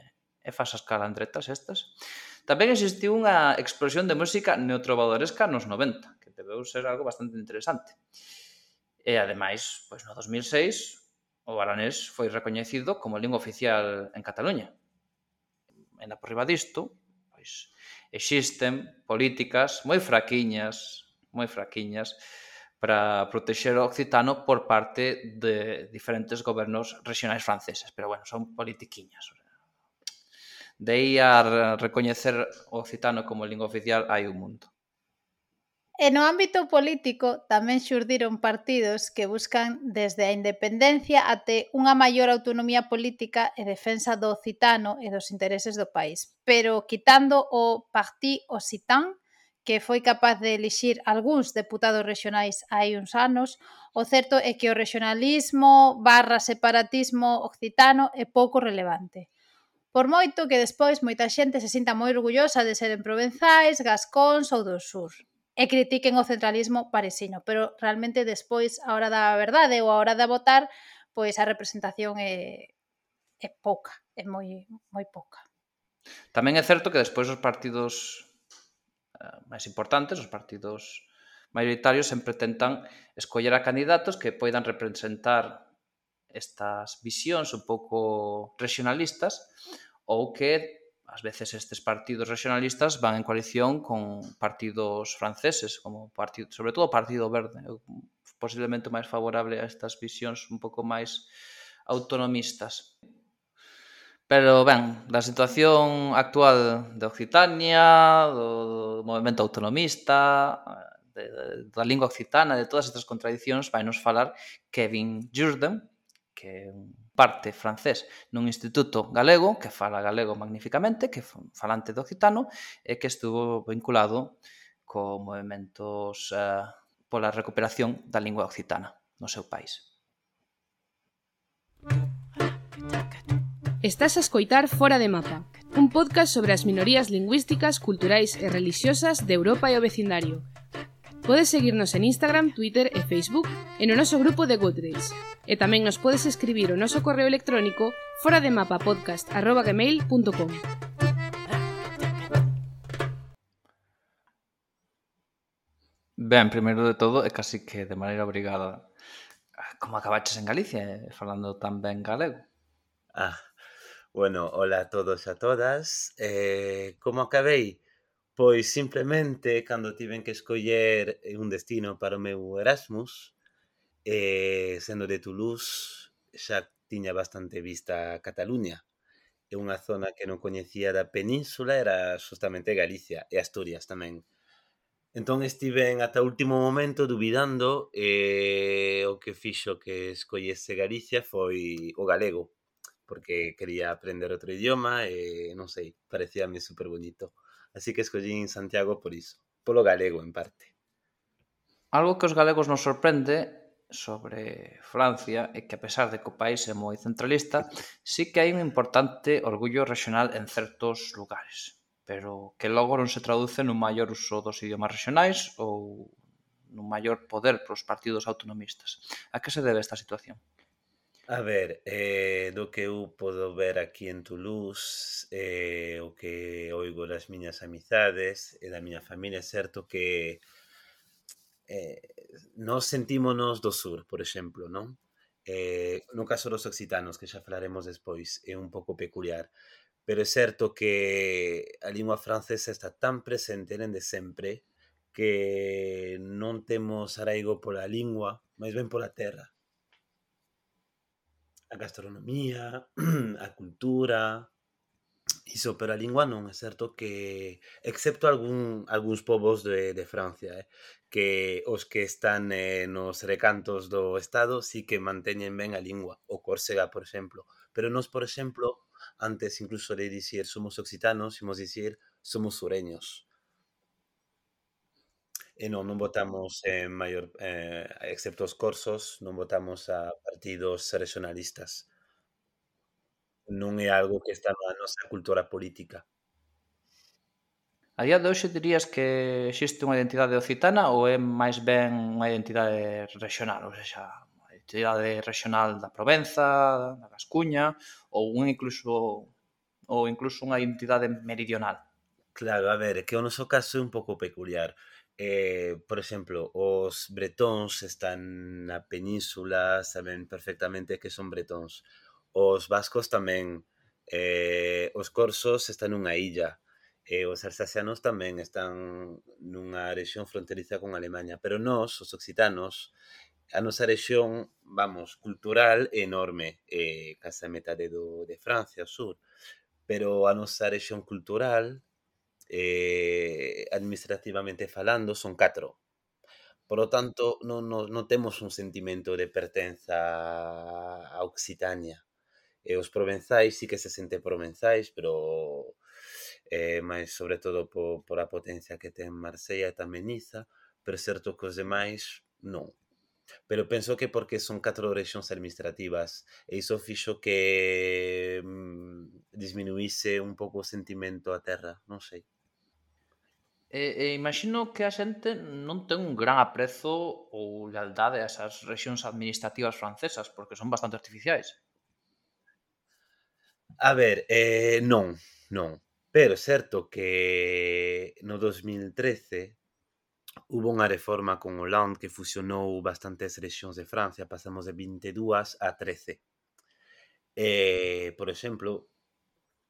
e fas as calandretas estas. Tamén existiu unha explosión de música neotrovadoresca nos noventa, que debeu ser algo bastante interesante. E, ademais, pues, no dos mil seis, o aranés foi recoñecido como lingua oficial en Cataluña. E na por riba disto, pois, existen políticas moi fraquiñas, moi fraquiñas, para protexer o occitano por parte de diferentes gobernos regionais franceses. Pero, bueno, son politiquiñas. De aí a recoñecer o occitano como lingua oficial hai un mundo. E no ámbito político tamén xurdiron partidos que buscan desde a independencia até unha maior autonomía política e defensa do occitano e dos intereses do país. Pero quitando o Parti Occitan, que foi capaz de elixir algúns deputados rexionais hai uns anos, o certo é que o rexionalismo barra separatismo occitano é pouco relevante. Por moito que despois moita xente se sinta moi orgullosa de seren provenzais, gascóns ou do sur e critiquen o centralismo parisino, pero realmente despois, a hora da verdade ou a hora de votar, pois a representación é, é pouca, é moi, moi pouca. Tamén é certo que despois os partidos eh, máis importantes, os partidos maioritarios, sempre tentan escoller a candidatos que poidan representar estas visións un pouco regionalistas ou que ás veces estes partidos regionalistas van en coalición con partidos franceses, como partido, sobre todo o Partido Verde, posiblemente máis favorable a estas visións un pouco máis autonomistas. Pero, ben, da situación actual de Occitania, do, do movimento autonomista, de, de, da lingua occitana, de todas estas contradicións, vai nos falar Kevin Jourdain, que é un parte francés nun instituto galego, que fala galego magníficamente, que é falante de occitano, e que estuvo vinculado co movimentos eh, pola recuperación da lingua occitana no seu país. Estás a escoitar Fora de Mapa, un podcast sobre as minorías lingüísticas, culturais e religiosas de Europa e o vecindario. Podes seguirnos en Instagram, Twitter e Facebook e no noso grupo de Goodreads. E tamén nos podes escribir o noso correo electrónico forademapapodcast arroba gmail punto com. Ben, primeiro de todo, é casi que de maneira obrigada, como acabaches en Galicia, falando tan ben galego. Ah, bueno, hola a todos e a todas. Eh, como acabei? Pois simplemente, cando tiven que escoller un destino para o meu Erasmus, eh, sendo de Toulouse, xa tiña bastante vista a Cataluña. E unha zona que non coñecía da península era justamente Galicia e Asturias tamén. Entón estiven ata o último momento dubidando e o que fixo que escollese Galicia foi o galego, porque quería aprender outro idioma e non sei, parecíame super bonito. Así que escollín Santiago por iso, polo galego en parte. Algo que os galegos nos sorprende sobre Francia é que, a pesar de que o país é moi centralista, sí que hai un importante orgullo regional en certos lugares, pero que logo non se traduce nun maior uso dos idiomas regionais ou nun maior poder pros partidos autonomistas. A que se debe esta situación? A ver, eh, do que eu podo ver aquí en Toulouse, eh, o que oigo das miñas amizades e da miña familia, é certo que eh, nos sentímonos do sur, por exemplo, non? Eh, no caso dos occitanos, que xa falaremos despois, é un pouco peculiar, pero é certo que a lingua francesa está tan presente dende sempre que non temos arraigo pola lingua, máis ben pola terra. A gastronomía, a cultura, iso, pero a lingua non, é certo que, excepto algún, algúns povos de, de Francia, eh, que os que están eh, nos recantos do Estado sí que manteñen ben a lingua, o córsega, por exemplo, pero nos, por exemplo, antes incluso de dicir somos occitanos, imos dicir somos sureños. E non, non votamos en maior, eh, excepto os corsos, non votamos a partidos regionalistas. Non é algo que está na nosa cultura política. A día de hoxe dirías que existe unha identidade occitana ou é máis ben unha identidade regional, ou seja, unha identidade regional da Provenza, da Gascuña, ou un incluso ou incluso unha identidade meridional? Claro, a ver, é que o noso caso é un pouco peculiar. Eh, por exemplo, os bretóns están na península, saben perfectamente que son bretóns. Os vascos tamén, eh, os corsos están nunha illa, e os alsacianos tamén están nunha rexión fronteriza con Alemaña, pero nós, os occitanos, a nosa rexión, vamos, cultural é enorme, eh, case a metade do, de Francia, ao sur, pero a nosa rexión cultural, eh, administrativamente falando, son catro. Por lo tanto, non, non, non temos un sentimento de pertenza a Occitania. E os provenzais sí que se sente provenzais, pero eh, máis sobre todo por, por a potencia que ten Marsella e tamén Niza, pero é certo que os demais non. Pero penso que porque son catro rexións administrativas e iso fixo que mm, disminuíse un pouco o sentimento a terra, non sei. E, e imagino que a xente non ten un gran aprezo ou lealdade a esas rexións administrativas francesas, porque son bastante artificiais. A ver, eh, non, non. Pero é certo que no dos mil trece hubo unha reforma con Hollande que fusionou bastantes rexións de Francia, pasamos de vinte e dúas a trece. Eh, por exemplo,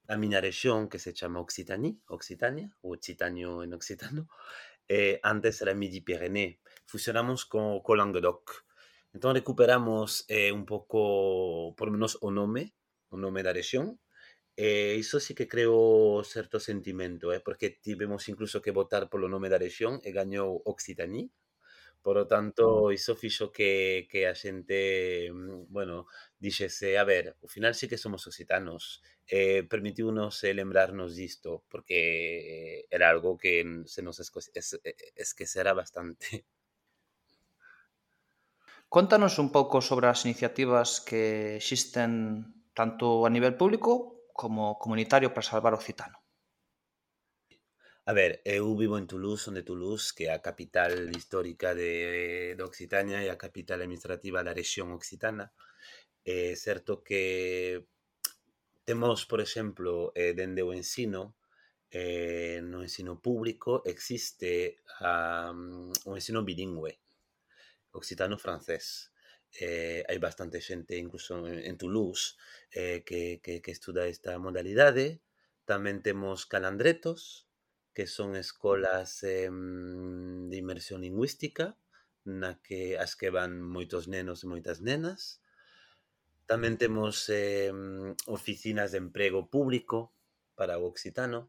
a miña rexión, que se chama Occitanie, Occitania, ou Occitanio en occitano, eh, antes era Midi-Pyrénées. Fusionamos co, co Languedoc. Entón recuperamos eh, un pouco, por menos o nome, o nome da rexión. E iso sí que creo certo sentimento, eh, porque tivemos incluso que votar polo nome da rexión e gañou Occitanie. Por lo tanto, iso fixo que, que a xente, mm, bueno, dixese, a ver, ao final sí que somos occitanos. Eh, permitiunos eh, lembrarnos disto, porque era algo que se nos esco- es, esquecera bastante. Contanos un pouco sobre as iniciativas que existen tanto a nivel público como comunitario para salvar o occitano. A ver, eu vivo en Toulouse, onde Toulouse, que é a capital histórica de, de Occitania e a capital administrativa da rexión occitana. É certo que temos, por exemplo, eh, dende o ensino, eh, no ensino público existe um, o ensino bilingüe, occitano-francés. Eh, hai bastante xente, incluso en, en Toulouse, eh, que, que, que estuda esta modalidade. Tamén temos calandretos, que son escolas eh, de inmersión lingüística, na que as que van moitos nenos e moitas nenas. Tamén temos eh, oficinas de emprego público para o occitano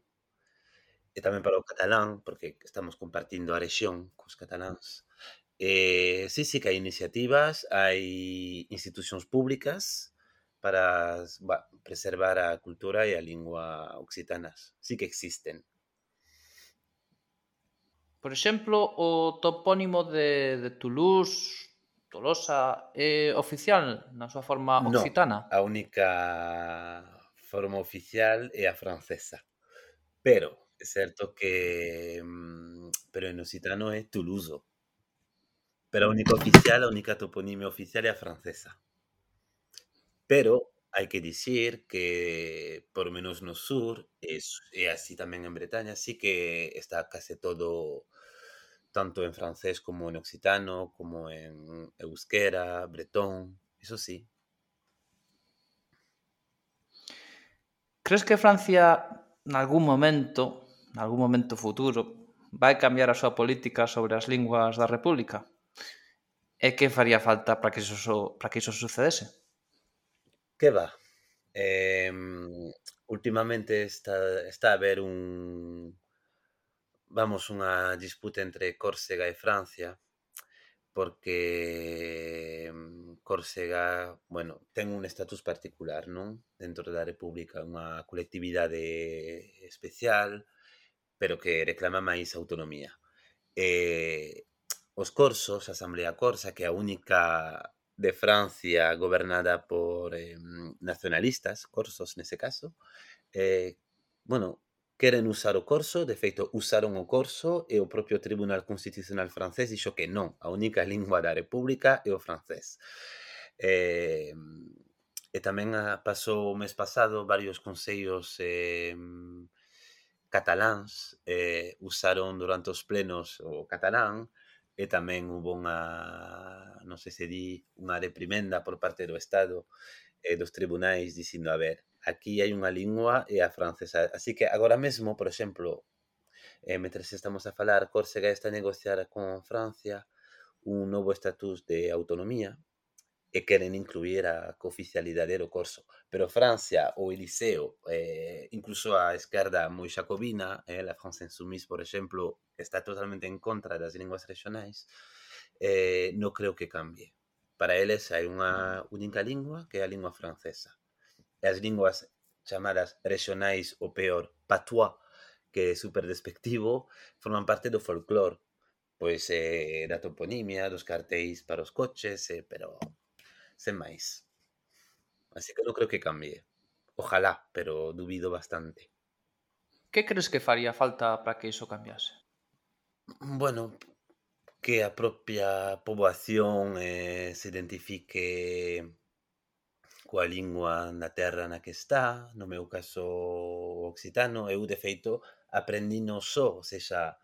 e tamén para o catalán, porque estamos compartindo a rexión cos cataláns. Eh, sí, sí que hai iniciativas, hai institucións públicas para bah, preservar a cultura e a lingua occitanas. Sí que existen. Por exemplo, o topónimo de, de Toulouse, Tolosa, é oficial na súa forma occitana? No, a única forma oficial é a francesa. Pero é certo que pero en occitano é Toulouse. Pero a única oficial, a única toponimia oficial é a francesa. Pero hai que dicir que, por menos no sur, e, e así tamén en Bretaña, sí que está case todo tanto en francés como en occitano, como en euskera, bretón, iso sí. Crees que Francia, nalgún momento, nalgún momento futuro, vai cambiar a súa política sobre as linguas da República? E que faría falta para que iso, para que iso sucedese? Que va? Eh, últimamente está, está a haber un, vamos, unha disputa entre Córsega e Francia, porque Córsega, bueno, ten un estatus particular, non? Dentro da República, unha colectividade especial, pero que reclama máis autonomía. Eh, os corsos, a Asamblea Corsa, que é a única de Francia gobernada por eh, nacionalistas, corsos nese caso, eh, bueno, queren usar o corso, de feito usaron o corso e o propio Tribunal Constitucional francés dixo que non, a única lingua da República é o francés. Eh, e tamén pasou o mes pasado varios consellos eh, cataláns eh, usaron durante os plenos o catalán e tamén hubo unha, non sei se di, unha reprimenda por parte do Estado e dos tribunais dicindo, a ver, aquí hai unha lingua e a francesa. Así que agora mesmo, por exemplo, eh, mentres estamos a falar, Córsega está a negociar con Francia un novo estatus de autonomía e queren incluir a cooficialidade do corso. Pero Francia, o Eliseo, eh, incluso a esquerda moi xacobina, eh, la France Insoumise, por exemplo, está totalmente en contra das linguas regionais, eh, non creo que cambie. Para eles hai unha única lingua que é a lingua francesa. E as linguas chamadas regionais, o peor, patois, que é super despectivo, forman parte do folclore, pois eh, da toponimia, dos cartéis para os coches, eh, pero sen máis. Así que non creo que cambie. Ojalá, pero dubido bastante. Que crees que faría falta para que iso cambiase? Bueno, que a propia poboación eh, se identifique coa lingua na terra na que está, no meu caso o occitano. Eu, de feito, aprendino só, ou seja,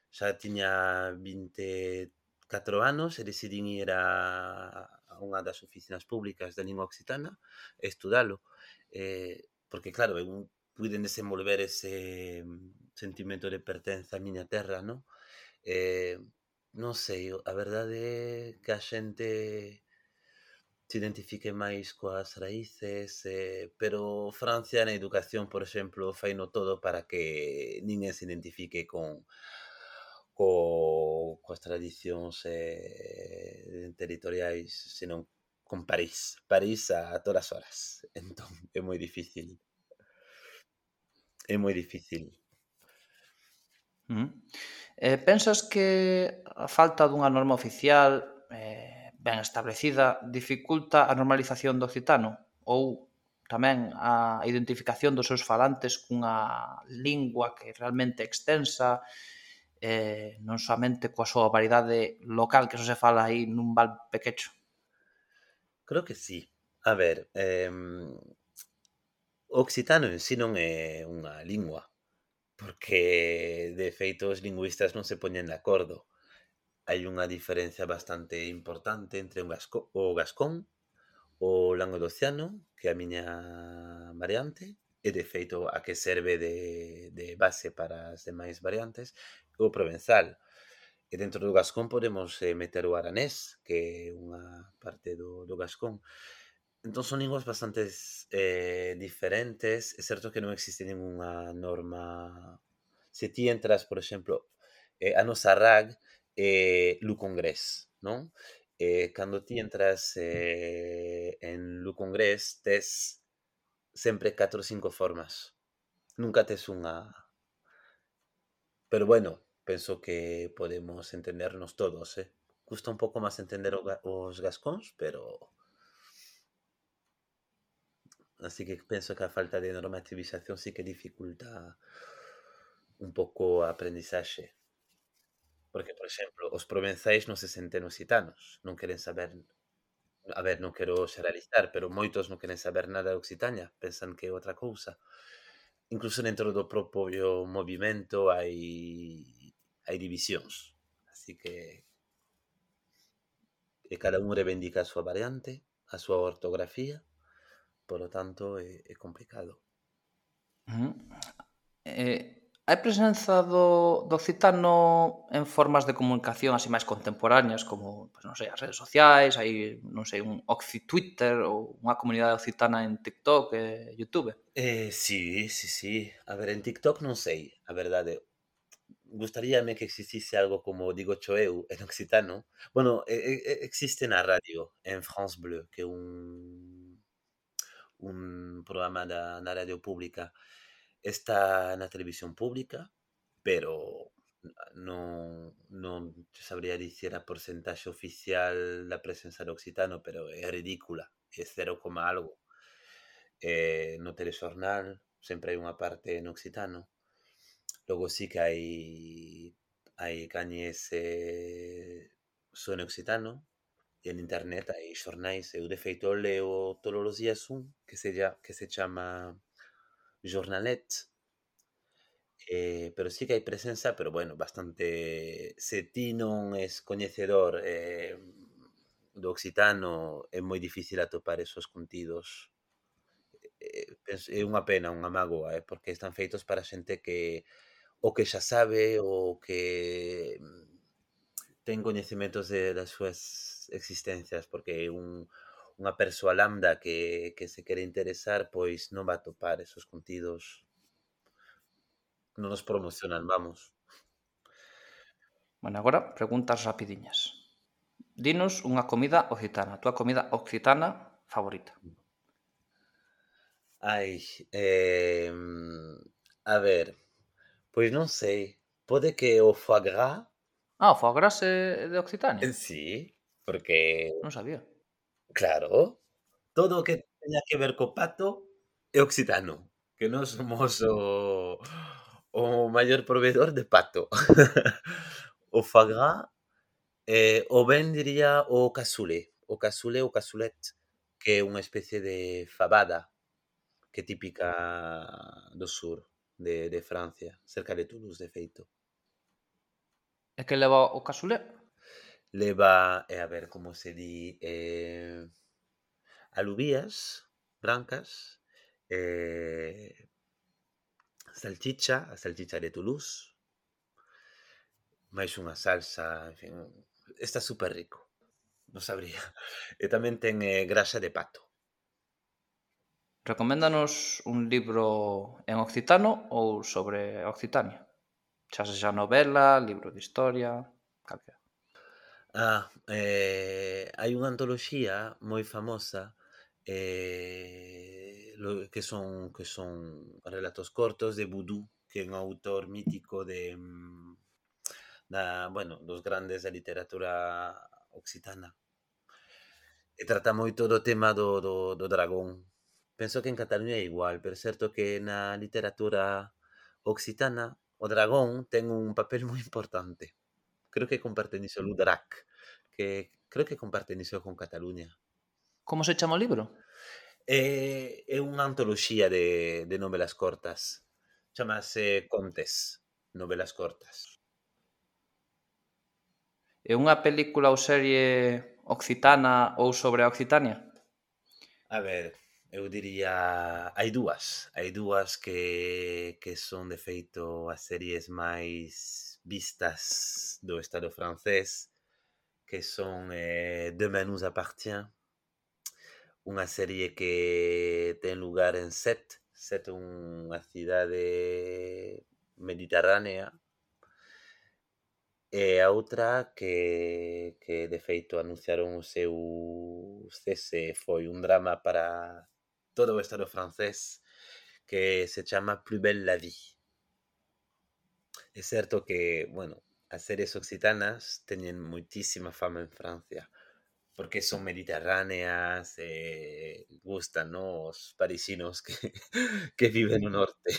xa tiña vinte e catro anos e decidín ir a, a unha das oficinas públicas da lingua occitana e estudalo. Eh, porque, claro, eu puiden desenvolver ese mm, sentimento de pertenza á miña terra, non? Eh, non sei, a verdade é que a xente se identifique máis coas raíces, eh, pero Francia na educación, por exemplo, faino todo para que ninguén se identifique con co, coas tradicións eh, territoriais, senón con París. París a todas horas. Entón, é moi difícil. É moi difícil. Uh -huh. Eh, pensas que a falta dunha norma oficial eh, ben establecida dificulta a normalización do occitano ou tamén a identificación dos seus falantes cunha lingua que realmente é extensa, eh, non somente coa súa variedade local que só se fala aí nun val pequecho? Creo que sí. A ver, eh, o occitano en sí non é unha lingua, porque de feito os lingüistas non se poñen de acordo. Hai unha diferencia bastante importante entre un gasco, o gascón, o languedociano, que é a miña variante, e de feito a que serve de, de base para as demais variantes, o provenzal. E dentro do gascón podemos eh, meter o aranés, que é unha parte do, do gascón. Entón son linguas bastante eh, diferentes. É certo que non existe ninguna norma. Se ti entras, por exemplo, eh, a nosa R A G eh, Lu Congrés, non? Eh, cando ti entras eh, en Lu Congrés, tes sempre catro ou cinco formas. Nunca tes unha... Pero bueno, penso que podemos entendernos todos, eh? Custa un pouco máis entender o ga- os gascóns, pero... Así que penso que a falta de normativización sí que dificulta un pouco a aprendizaxe. Porque, por exemplo, os provenzais non se senten occitanos, non queren saber... A ver, non quero xeralizar, pero moitos non queren saber nada de Occitania, pensan que é outra cousa. Incluso dentro do propio movimento hai hai divisións. Así que e cada un reivindica a súa variante, a súa ortografía, por lo tanto é, é complicado. Uh -huh. Eh, hai presenza do, do occitano en formas de comunicación así máis contemporáneas, como, pues, non sei, as redes sociais, hai, non sei, un Occi-Twitter ou unha comunidade occitana en TikTok e YouTube? Eh, sí, sí, sí. A ver, en TikTok non sei, a verdade. Gustaríame que existise algo como digo cho eu en occitano. Bueno, eh, eh, existe na radio, en France Bleu, que é un un programa da, na radio pública. Está na televisión pública, pero non, non sabría dicir a porcentaxe oficial da presenza do occitano, pero é ridícula, é cero, algo. Eh, no telexornal sempre hai unha parte en occitano. Logo sí que hai hai cañes eh, só en occitano, e en internet hai xornais. Eu de feito leo todos os días un que se, ya, que se chama Jornalet. Eh, pero sí que hai presenza, pero bueno, bastante... Se ti non es coñecedor eh, do occitano, é moi difícil atopar esos contidos. Eh, é unha pena, unha mágoa, eh, porque están feitos para xente que o que xa sabe, o que ten coñecementos de, das súas existencias, porque un, unha persoa lambda que, que se quere interesar, pois non va a topar esos contidos. Non nos promocionan, vamos. Bueno, agora preguntas rapidiñas. dinos unha comida occitana, a túa comida occitana favorita. Ai, eh, a ver, pois non sei, pode que o foie gras, Ah, o foie gras é de Occitania? eh, sí, porque, Non sabía. claro, todo o que teña que ver co pato é occitano, que nós somos o o maior proveedor de pato. O foie gras, eh, ou ben diría o cassoulet, o cassoulet ou cassoulet, que é unha especie de fabada que é típica do sur de de Francia, cerca de Toulouse, de feito. E que leva o cassoulet? Leva, eh, a ver como se di, eh, alubías brancas, eh, salchicha, a salchicha de Toulouse, máis unha salsa, en fin, está super rico, non sabría. E tamén ten eh, grasa de pato. Recoméndanos un libro en occitano ou sobre Occitania. Xa sexa novela, libro de historia, calquera. Ah, eh, hai unha antoloxía moi famosa eh, lo, que son que son relatos cortos de Boudou, que é un autor mítico de mm, da, bueno, dos grandes da literatura occitana. E trata moito do tema do, do, do dragón. Penso que en Cataluña é igual, pero é certo que na literatura occitana o dragón ten un papel moi importante. Creo que comparten iso o Drac, que creo que comparten iso con Cataluña. Como se chama o libro? É, é unha antoloxía de, de novelas cortas. Chamase Contes, novelas cortas. É unha película ou serie occitana ou sobre a Occitania? A ver, eu diría... Hai dúas. Hai dúas que, que son, de feito, as series máis vistas do Estado francés, que son eh, Demain nous appartient, unha serie que ten lugar en Sète. Sète é unha cidade mediterránea, e a outra que, que de feito anunciaron o seu cese, foi un drama para todo o Estado francés, que se chama Plus belle la vie. É certo que, bueno, as series occitanas teñen moitísima fama en Francia, porque son mediterráneas e gustan, no, os parisinos que, que viven no norte.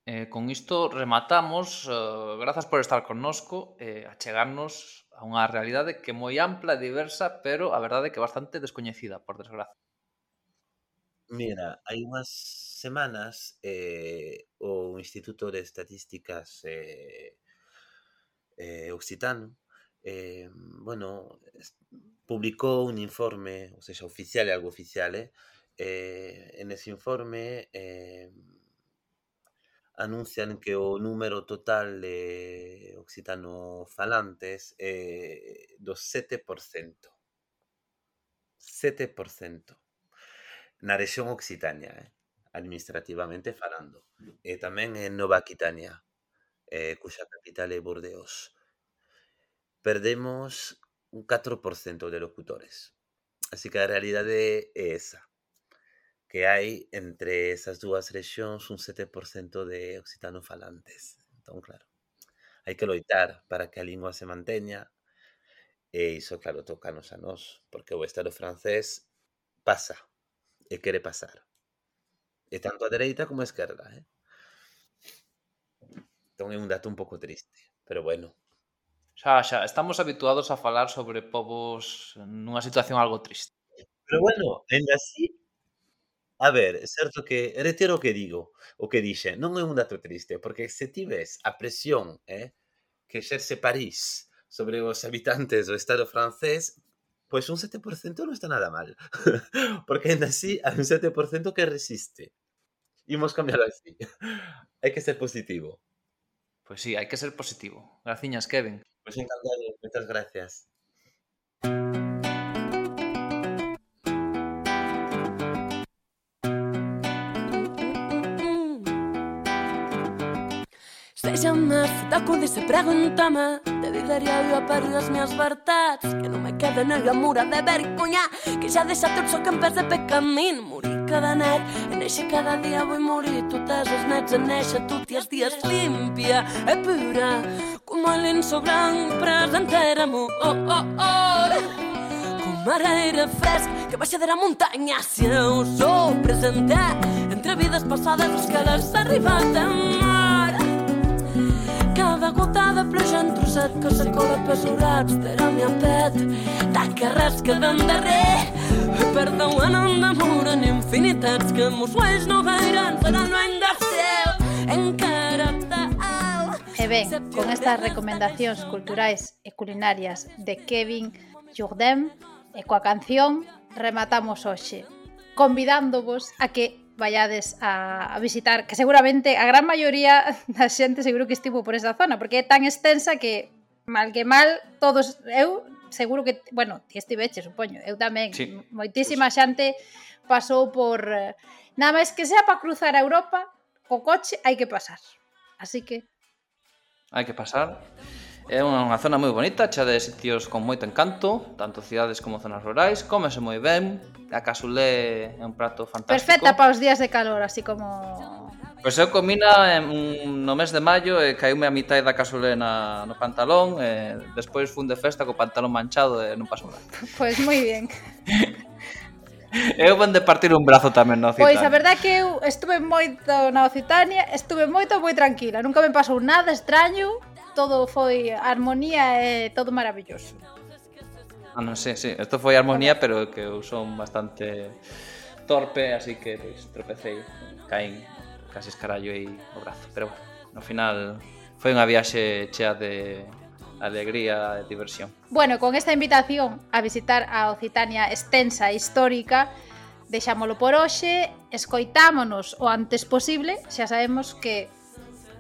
Eh, con isto rematamos, eh, grazas por estar connosco e eh, achegarnos a unha realidade que é moi ampla e diversa, pero a verdade é que bastante descoñecida, por desgracia. Mira, hai unhas semanas eh, o Instituto de Estatísticas eh, eh, Occitano eh, bueno, publicou un informe, ou seja, oficial e algo oficial, eh, eh, en ese informe eh, anuncian que o número total de occitano falantes é eh, do sete por cento. sete por cento. Na rexión Occitania, eh, administrativamente falando. E tamén en Nova Aquitania, eh, cuxa capital é Bordeos. Perdemos un catro por cento de locutores. Así que a realidade é esa, que hai entre esas dúas rexións un sete por cento de occitano falantes. Entón, claro, hai que loitar para que a lingua se manteña, e iso, claro, tócanos a nós, porque o Estado francés pasa e quere pasar. E tanto a dereita como a esquerda, eh? Entón é un dato un pouco triste, pero bueno. Xa, xa, estamos habituados a falar sobre povos nunha situación algo triste. Pero bueno, ainda así, a ver, é certo que, retiro o que digo, o que dixe, non é un dato triste, porque se ti ves a presión eh, que exerce París sobre os habitantes do Estado francés, pois un sete por cento non está nada mal, porque ainda así hai un sete por cento que resiste. Imos cambiar así. Hai que ser positivo. Pois sí, hai que ser positivo. Graciñas, Kevin. Pois encantado, moitas gracias. Se jamais, d'accord, se preguntame, te de diario a perder as miñas verdades, que non me quede na gamura de vergoña, que xa deixa tot so que en vez de pe camín. Morir cada net, en eixe cada día vull morir. Tu tes els nets en eixe, tu ties dies limpia e pura, como el lienzo blanc presentéramo. Oh, oh, oh, com aire fresc que baixa de la muntanya. Si eu sou presentar entre vides passades els que l'has arribat a mar. Cada gota de pluja en trosset que se cola pesurats de la meva pet, de que res queda en darrer. Perdó, en un amor en infinitats que mos ulls no veiran, seran no hem de ser encara tal. E ben, con estas recomendacións culturais e culinarias de Kevin Jourdain e coa canción rematamos hoxe, convidándovos a que vayades a, a visitar, que seguramente a gran maioría da xente seguro que estivo por esa zona, porque é tan extensa que mal que mal todos, eu seguro que, bueno, ti estiveche, supoño, eu tamén, sí. Moitísima xente pasou por, nada máis que sea para cruzar a Europa, co coche hai que pasar, así que hai que pasar. É unha zona moi bonita, chea de sitios con moito encanto, tanto cidades como zonas rurais, cómese moi ben, a casulé é un prato fantástico. Perfecta para os días de calor, así como... Pois eu comina en, no mes de maio e caíume a mitad da casulé na, no pantalón e despois fun de festa co pantalón manchado e non pasou nada. Pois moi ben. Eu van de partir un brazo tamén na Occitania. Pois a verdade é que eu estuve moito na Occitania, estuve moito moi tranquila, nunca me pasou nada extraño, todo foi armonía e todo maravilloso. Ah, non, sí, sí, isto foi armonía, pero que eu son bastante torpe, así que pois, tropecei, caín casi escarallo aí o brazo, pero bueno, no final foi unha viaxe chea de alegría e diversión. Bueno, con esta invitación a visitar a Occitania extensa e histórica, deixámolo por hoxe, escoitámonos o antes posible, xa sabemos que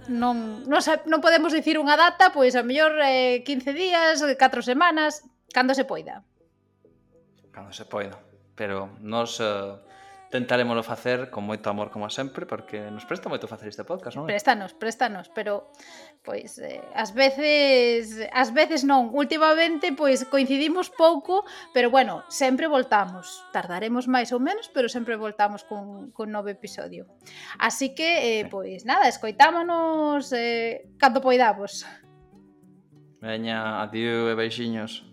non, non, non podemos dicir unha data, pois a mellor eh, quince días, catro semanas, cando se poida. Cando se poida, pero nos eh, tentaremoslo facer con moito amor como sempre, porque nos presta moito facer este podcast, non? Préstanos, préstanos, pero pois eh, ás veces, ás veces non, últimamente pois coincidimos pouco, pero bueno, sempre voltamos. Tardaremos máis ou menos, pero sempre voltamos cun, cun novo episodio. Así que, eh, pois nada, escoitámonos eh, cando poidamos. Veña, adiós e beixiños.